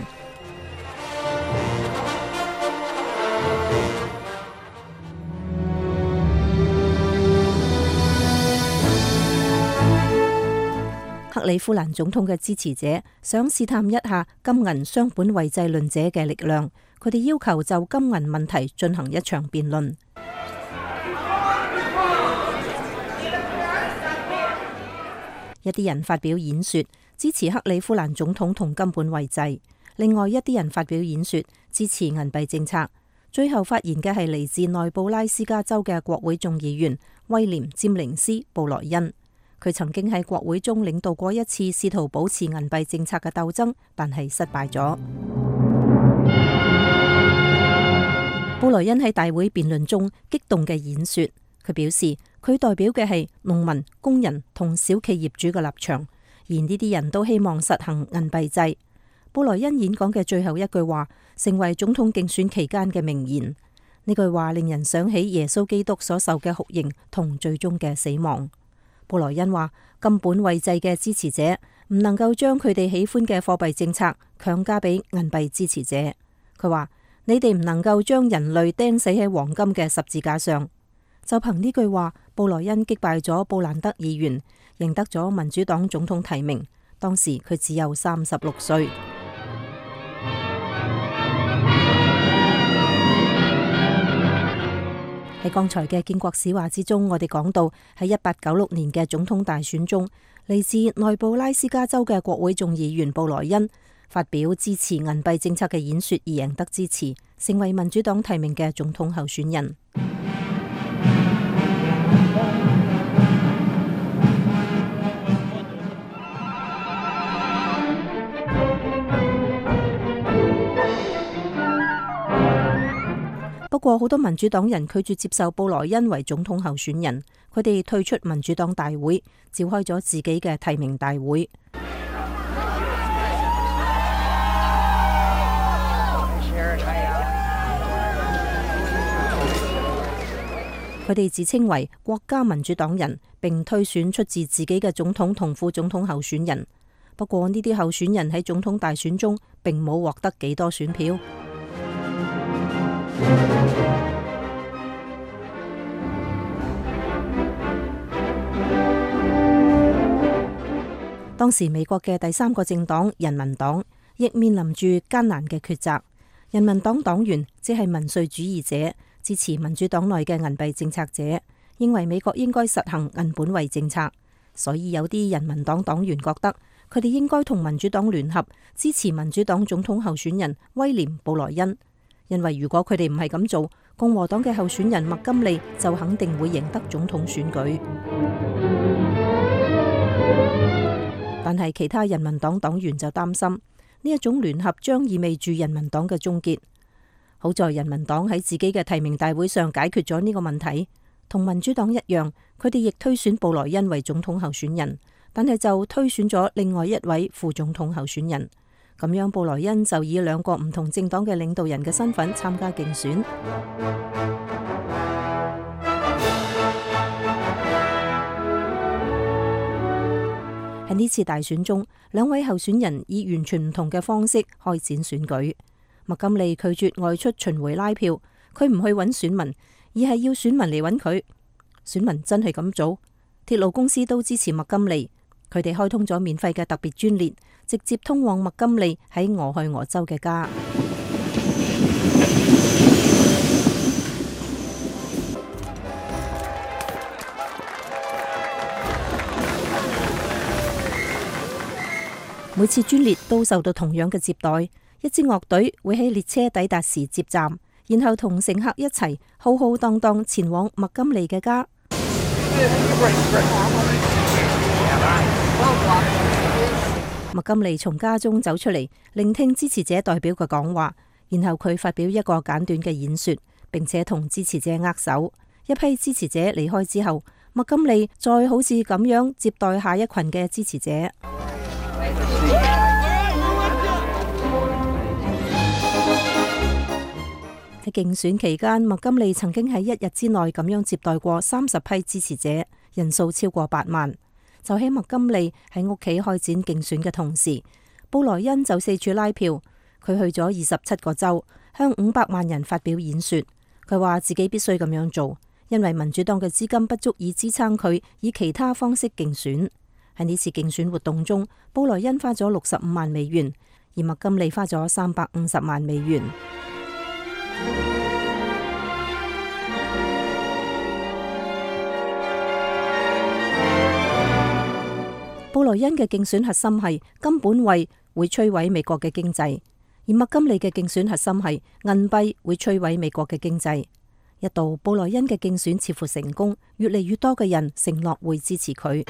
克里夫蘭總統嘅支持者想試探一下金銀雙本位制論者嘅力量，佢哋要求就金銀問題進行一場辯論。一啲人發表演說支持克里夫蘭總統同金本位制，另外一啲人發表演說支持銀幣政策。最後發言嘅係嚟自內布拉斯加州嘅國會眾議員威廉·詹寧斯·布萊恩。佢曾經喺國會中領導過一次試圖保持銀幣政策嘅鬥爭，但係失敗咗。布萊恩喺大會辯論中激動嘅演說，佢表示佢代表嘅係農民、工人同小企業主嘅立場，而呢啲人都希望實行銀幣制。布萊恩演講嘅最後一句話成為總統競選期間嘅名言。呢句話令人想起耶穌基督所受嘅酷刑同最終嘅死亡。布萊恩話：金本位制嘅支持者唔能夠將佢哋喜歡嘅貨幣政策強加俾銀幣支持者。佢話：你哋唔能夠將人類釘死喺黃金嘅十字架上。就憑呢句話，布萊恩擊敗咗布蘭德議員，贏得咗民主黨總統提名。當時佢只有36歲。喺剛才嘅建國史話之中，我哋講到喺1896年嘅總統大選中，嚟自內布拉斯加州嘅國會眾議員布萊恩發表支持銀幣政策嘅演說而贏得支持，成為民主黨提名嘅總統候選人。不過好多民主黨人拒絕接受布萊恩為總統候選人，佢哋退出民主黨大會，召開咗自己嘅提名大會。佢哋自稱為國家民主黨人，並推選出自己嘅總統同副總統候選人。不過呢啲候選人喺總統大選中並冇獲得幾多選票。當時美國嘅第三個政黨人民黨亦面臨住艱難嘅抉擇。人民黨黨員即係民粹主義者，支持民主黨內嘅銀幣政策者，認為美國應該實行銀本位政策。所以有啲人民黨黨員覺得佢哋應該同民主黨聯合，支持民主黨總統候選人威廉·布萊恩。因為如果佢哋唔係咁做，共和黨嘅候選人麥金利就肯定會贏得總統選舉。但係其他人民黨黨員就擔心呢一種聯合將意味住人民黨嘅終結。好在人民黨喺自己嘅提名大會上解決咗呢個問題，同民主黨一樣，佢哋亦推選布萊恩為總統候選人，但係就推選咗另外一位副總統候選人。咁樣布萊恩就以兩個唔同政黨嘅領導人嘅身份參加競選。喺呢次大選中，兩位候選人以完全唔同嘅方式開展選舉。麥金利拒絕外出巡迴拉票，佢唔去揾選民，而係要選民嚟揾佢。選民真係咁做，鐵路公司都支持麥金利，佢哋開通咗免費嘅特別專列，直接通往麥金利喺俄亥俄州嘅家。每次專列都受到同樣嘅接待，一支樂隊會喺列車抵達時接站，然後同乘客一齊浩浩蕩蕩前往麥金利嘅家。麥金利從家中走出嚟，聆聽支持者代表嘅講話，然後佢發表一個簡短嘅演說，並且同支持者握手。一批支持者離開之後，麥金利再好似咁樣接待下一群嘅支持者。喺競選期間，麥金利曾經喺一日之內咁樣接待過30批支持者，人數超過8萬。就喺麥金利喺屋企開展競選嘅同時，布萊恩就四處拉票。佢去咗27個州，向500萬人發表演說。佢話自己必須咁樣做，因為民主黨嘅資金不足以支撐佢以其他方式競選。喺呢次競選活動中，布萊恩花咗65萬美元，而麥金利花咗350萬美元。布萊恩嘅競選核心係金本位會摧毀美國嘅經濟，而麥金利嘅競選核心係銀幣會摧毀美國嘅經濟。一度布萊恩嘅競選似乎成功，越嚟越多嘅人承諾會支持佢。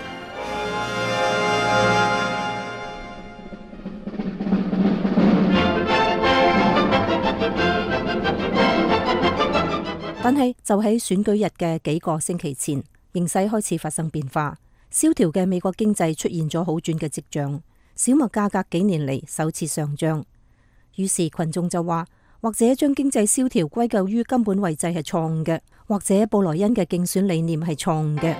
但係就喺選舉日嘅幾個星期前，形勢開始發生變化。蕭條嘅美國經濟出現咗好轉嘅跡象，小麥價格幾年嚟首次上漲。於是群眾就話，或者將經濟蕭條歸咎於金本位制係錯誤嘅，或者布萊恩嘅競選理念係錯誤嘅。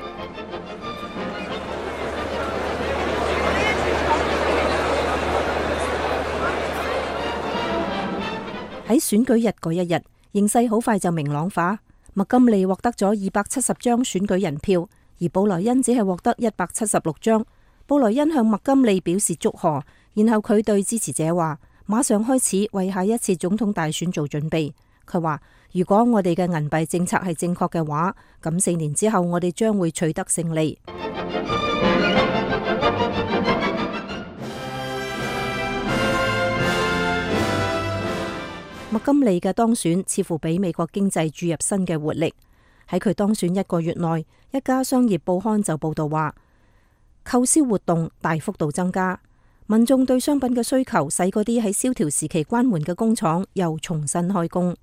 喺選舉日嗰一日，形勢好快就明朗化。麥金利獲得咗270張選舉人票，而布萊恩只係獲得176張。布萊恩向麥金利表示祝賀，然後佢對支持者話：馬上開始為下一次總統大選做準備。佢話：如果我哋嘅銀幣政策係正確嘅話，咁4年之後我哋將會取得勝利。麥金利嘅當選似乎俾美國經濟注入新嘅活力。喺佢當選1個月內，一家商業報刊就報道話，購銷活動大幅度增加，民眾對商品嘅需求使嗰啲喺蕭條時期關門嘅工廠又重新開工。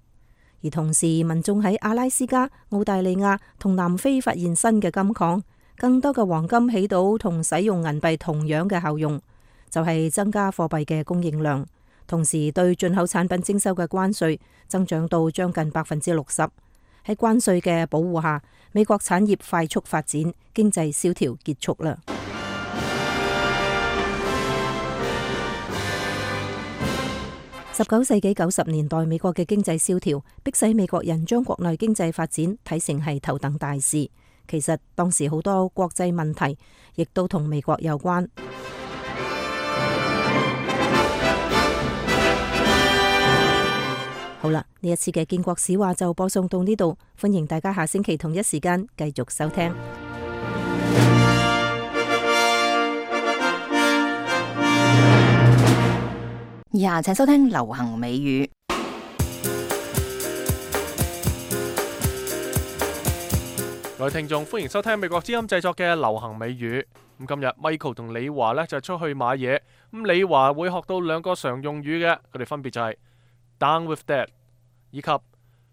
而同時，民眾喺阿拉斯加、澳大利亞同南非發現新嘅金礦，更多嘅黃金起到同使用銀幣同樣嘅效用，就係增加貨幣嘅供應量。同時，對進口產品徵收嘅關稅增長到將近60%。喺關稅嘅保護下，美國產業快速發展，經濟蕭條結束啦。19世紀90年代，美國嘅經濟蕭條，迫使美國人將國內經濟發展睇成係頭等大事。其實當時好多國際問題，亦都同美國有關。好啦，呢一次嘅建國史話就播送到呢度，歡迎大家下星期同一時間繼續收聽。以下請收聽流行美語。各位聽眾，歡迎收聽美國之音製作嘅流行美語。咁今日 Michael 同李華呢就出去買嘢，咁李華會學到2個常用語嘅，佢哋分別就係Down with that， 以及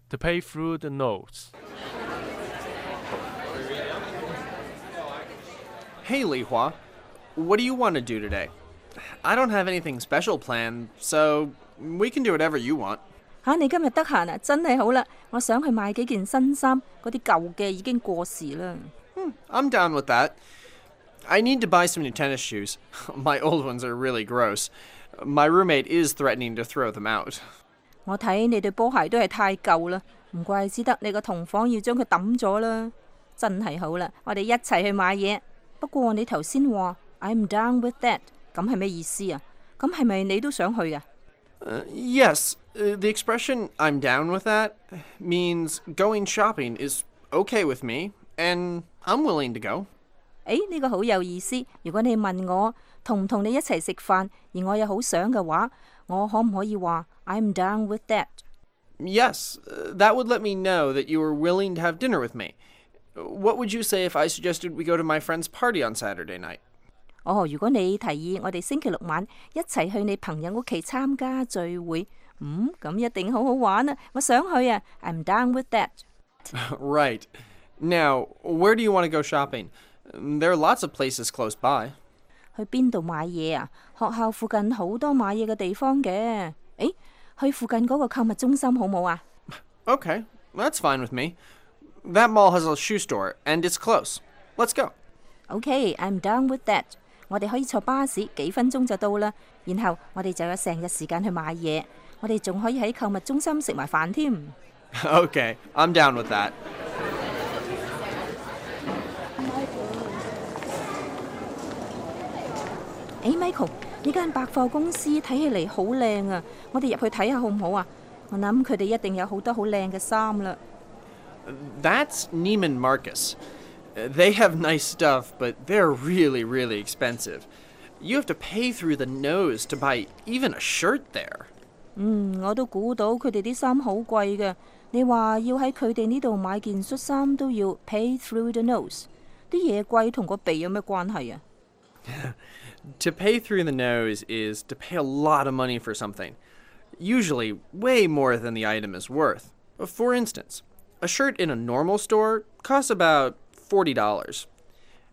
To pay through the nose。 Hey, Li Hua. What do you want to do today? I don't have anything special planned, so we can do whatever you want. 你今日得閒啊？真係好啦，我想去買幾件新衫，嗰啲舊嘅已經過時啦。I'm down with that. I need to buy some new tennis shoes. My old ones are really gross. My roommate is threatening to throw them out. 我睇你對波鞋都係太舊啦，唔怪之得你個同房要將佢抌咗啦。真係好啦，我哋一齊去買嘢。不過你頭先話 I'm down with that， 咁係咩意思啊？咁係咪你都想去㗎？Yes, the expression I'm down with that means going shopping is okay with me, and I'm willing to go. 呢個好有意思。如果你問我同唔同你一齊食飯，而我又好想嘅話，我可唔可以話 I'm down with that？ Yes, that would let me know that you were willing to have dinner with me. What would you say if I suggested we go to my friend's party on Saturday night? 如果你提議我哋星期六晚一齊去你朋友屋企參加聚會，咁一定好好玩啊！我想去啊 ！I'm down with that. Right. Now, where do you want to go shopping? There are lots of places close by. 去邊度買嘢啊？學校附近好多買嘢嘅地方嘅。去附近嗰個購物中心好冇啊？ Okay, that's fine with me. That mall has a shoe store, and it's close. Let's go. Okay, I'm down with that. 我哋可以坐巴士，幾分鐘就到啦。然後我哋就有成日時間去買嘢。我哋仲可以喺購物中心食埋飯添。Okay, I'm down with that. Michael， 呢間百貨公司睇起嚟好靚啊！我哋入去睇下好唔好啊？我諗佢哋一定有好多好靚嘅衫啦。That's Neiman Marcus. They have nice stuff, but they're really, really expensive. You have to pay through the nose to buy even a shirt there. 我都估到佢哋啲衫好貴嘅。你話要喺佢哋呢度買件恤衫都要 pay through the nose， 啲嘢貴同個鼻有咩關係啊？To pay through the nose is to pay a lot of money for something, usually way more than the item is worth. For instance, a shirt in a normal store costs about $40.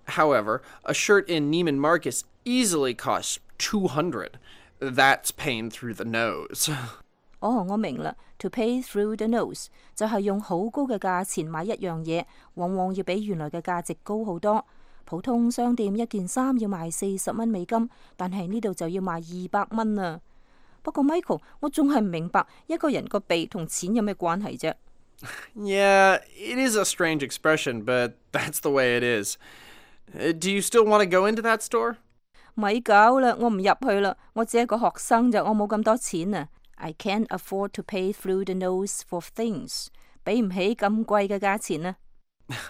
However, a shirt in Neiman Marcus easily costs $200. That's paying through the nose. 我明啦。To pay through the nose 就係用好高嘅價錢買一樣嘢，往往要比原來嘅價值高好多。普通商店一件衫要賣40蚊美金，但係呢度就要賣200蚊啊！不過 Michael， 我仲係唔明白一個人個鼻同錢有咩關係啫？ Yeah, it is a strange expression, but that's the way it is. Do you still want to go into that store? 咪搞啦，我唔入去啦，我只係個學生咋，我冇咁多錢啊！ I can't afford to pay through the nose for things， 俾唔起咁貴嘅價錢啊！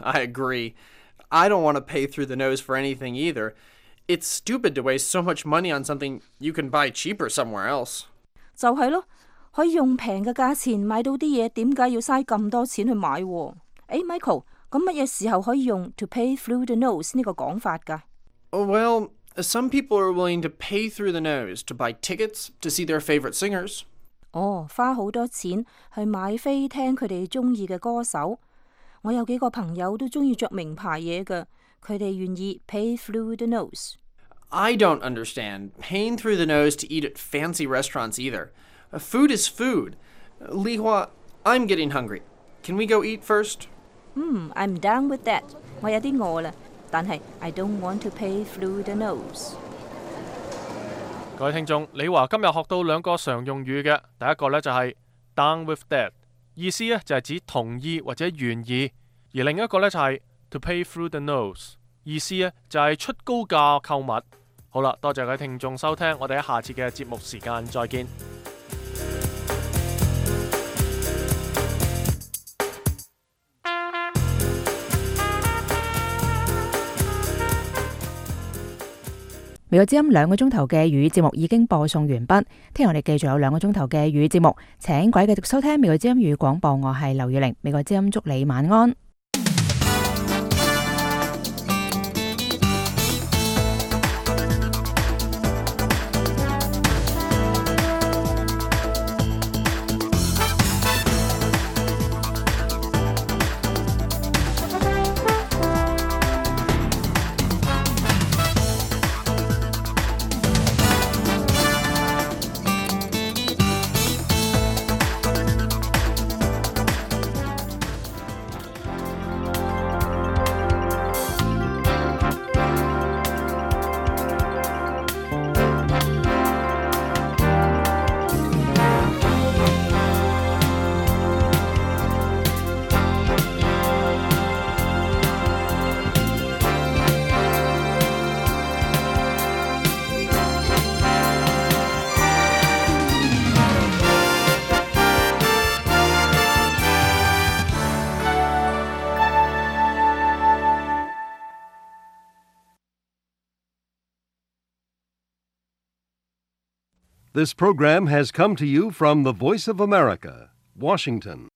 I agree. I don't want to pay through the nose for anything either. It's stupid to waste so much money on something you can buy cheaper somewhere else. 就係咯，可以用平嘅價錢買到啲嘢，點解要嘥咁多錢去買？Michael， 咁乜嘢時候可以用 to pay through the nose 呢個講法㗎？Well, some people are willing to pay through the nose to buy tickets to see their favorite singers. 花好多錢去買飛聽佢哋中意嘅歌手。我有幾個朋友都中意着名牌嘢㗎，佢哋願意 pay through the nose. I don't understand paying through the nose to eat at fancy restaurants either. Food is food. Li Hua, I'm getting hungry. Can we go eat first? I'm down with that. 我有啲餓啦，但係 I don't want to pay through the nose. 各位聽眾，李華今日學到兩個常用語嘅，第一個呢就係 down with that。意思呢就係指同意或者願意，而另一個呢就係 to pay through the nose， 意思呢就係出高價購物。好啦，多謝各位聽眾收聽，我哋喺下次嘅節目時間再見。美國之音2個鐘頭嘅粵語節目已經播送完畢，聽日我哋繼續有2個鐘頭嘅粵語節目，請各位繼續收聽美國之音粵語廣播，我係劉月玲，美國之音祝你晚安。This program has come to you from the Voice of America, Washington.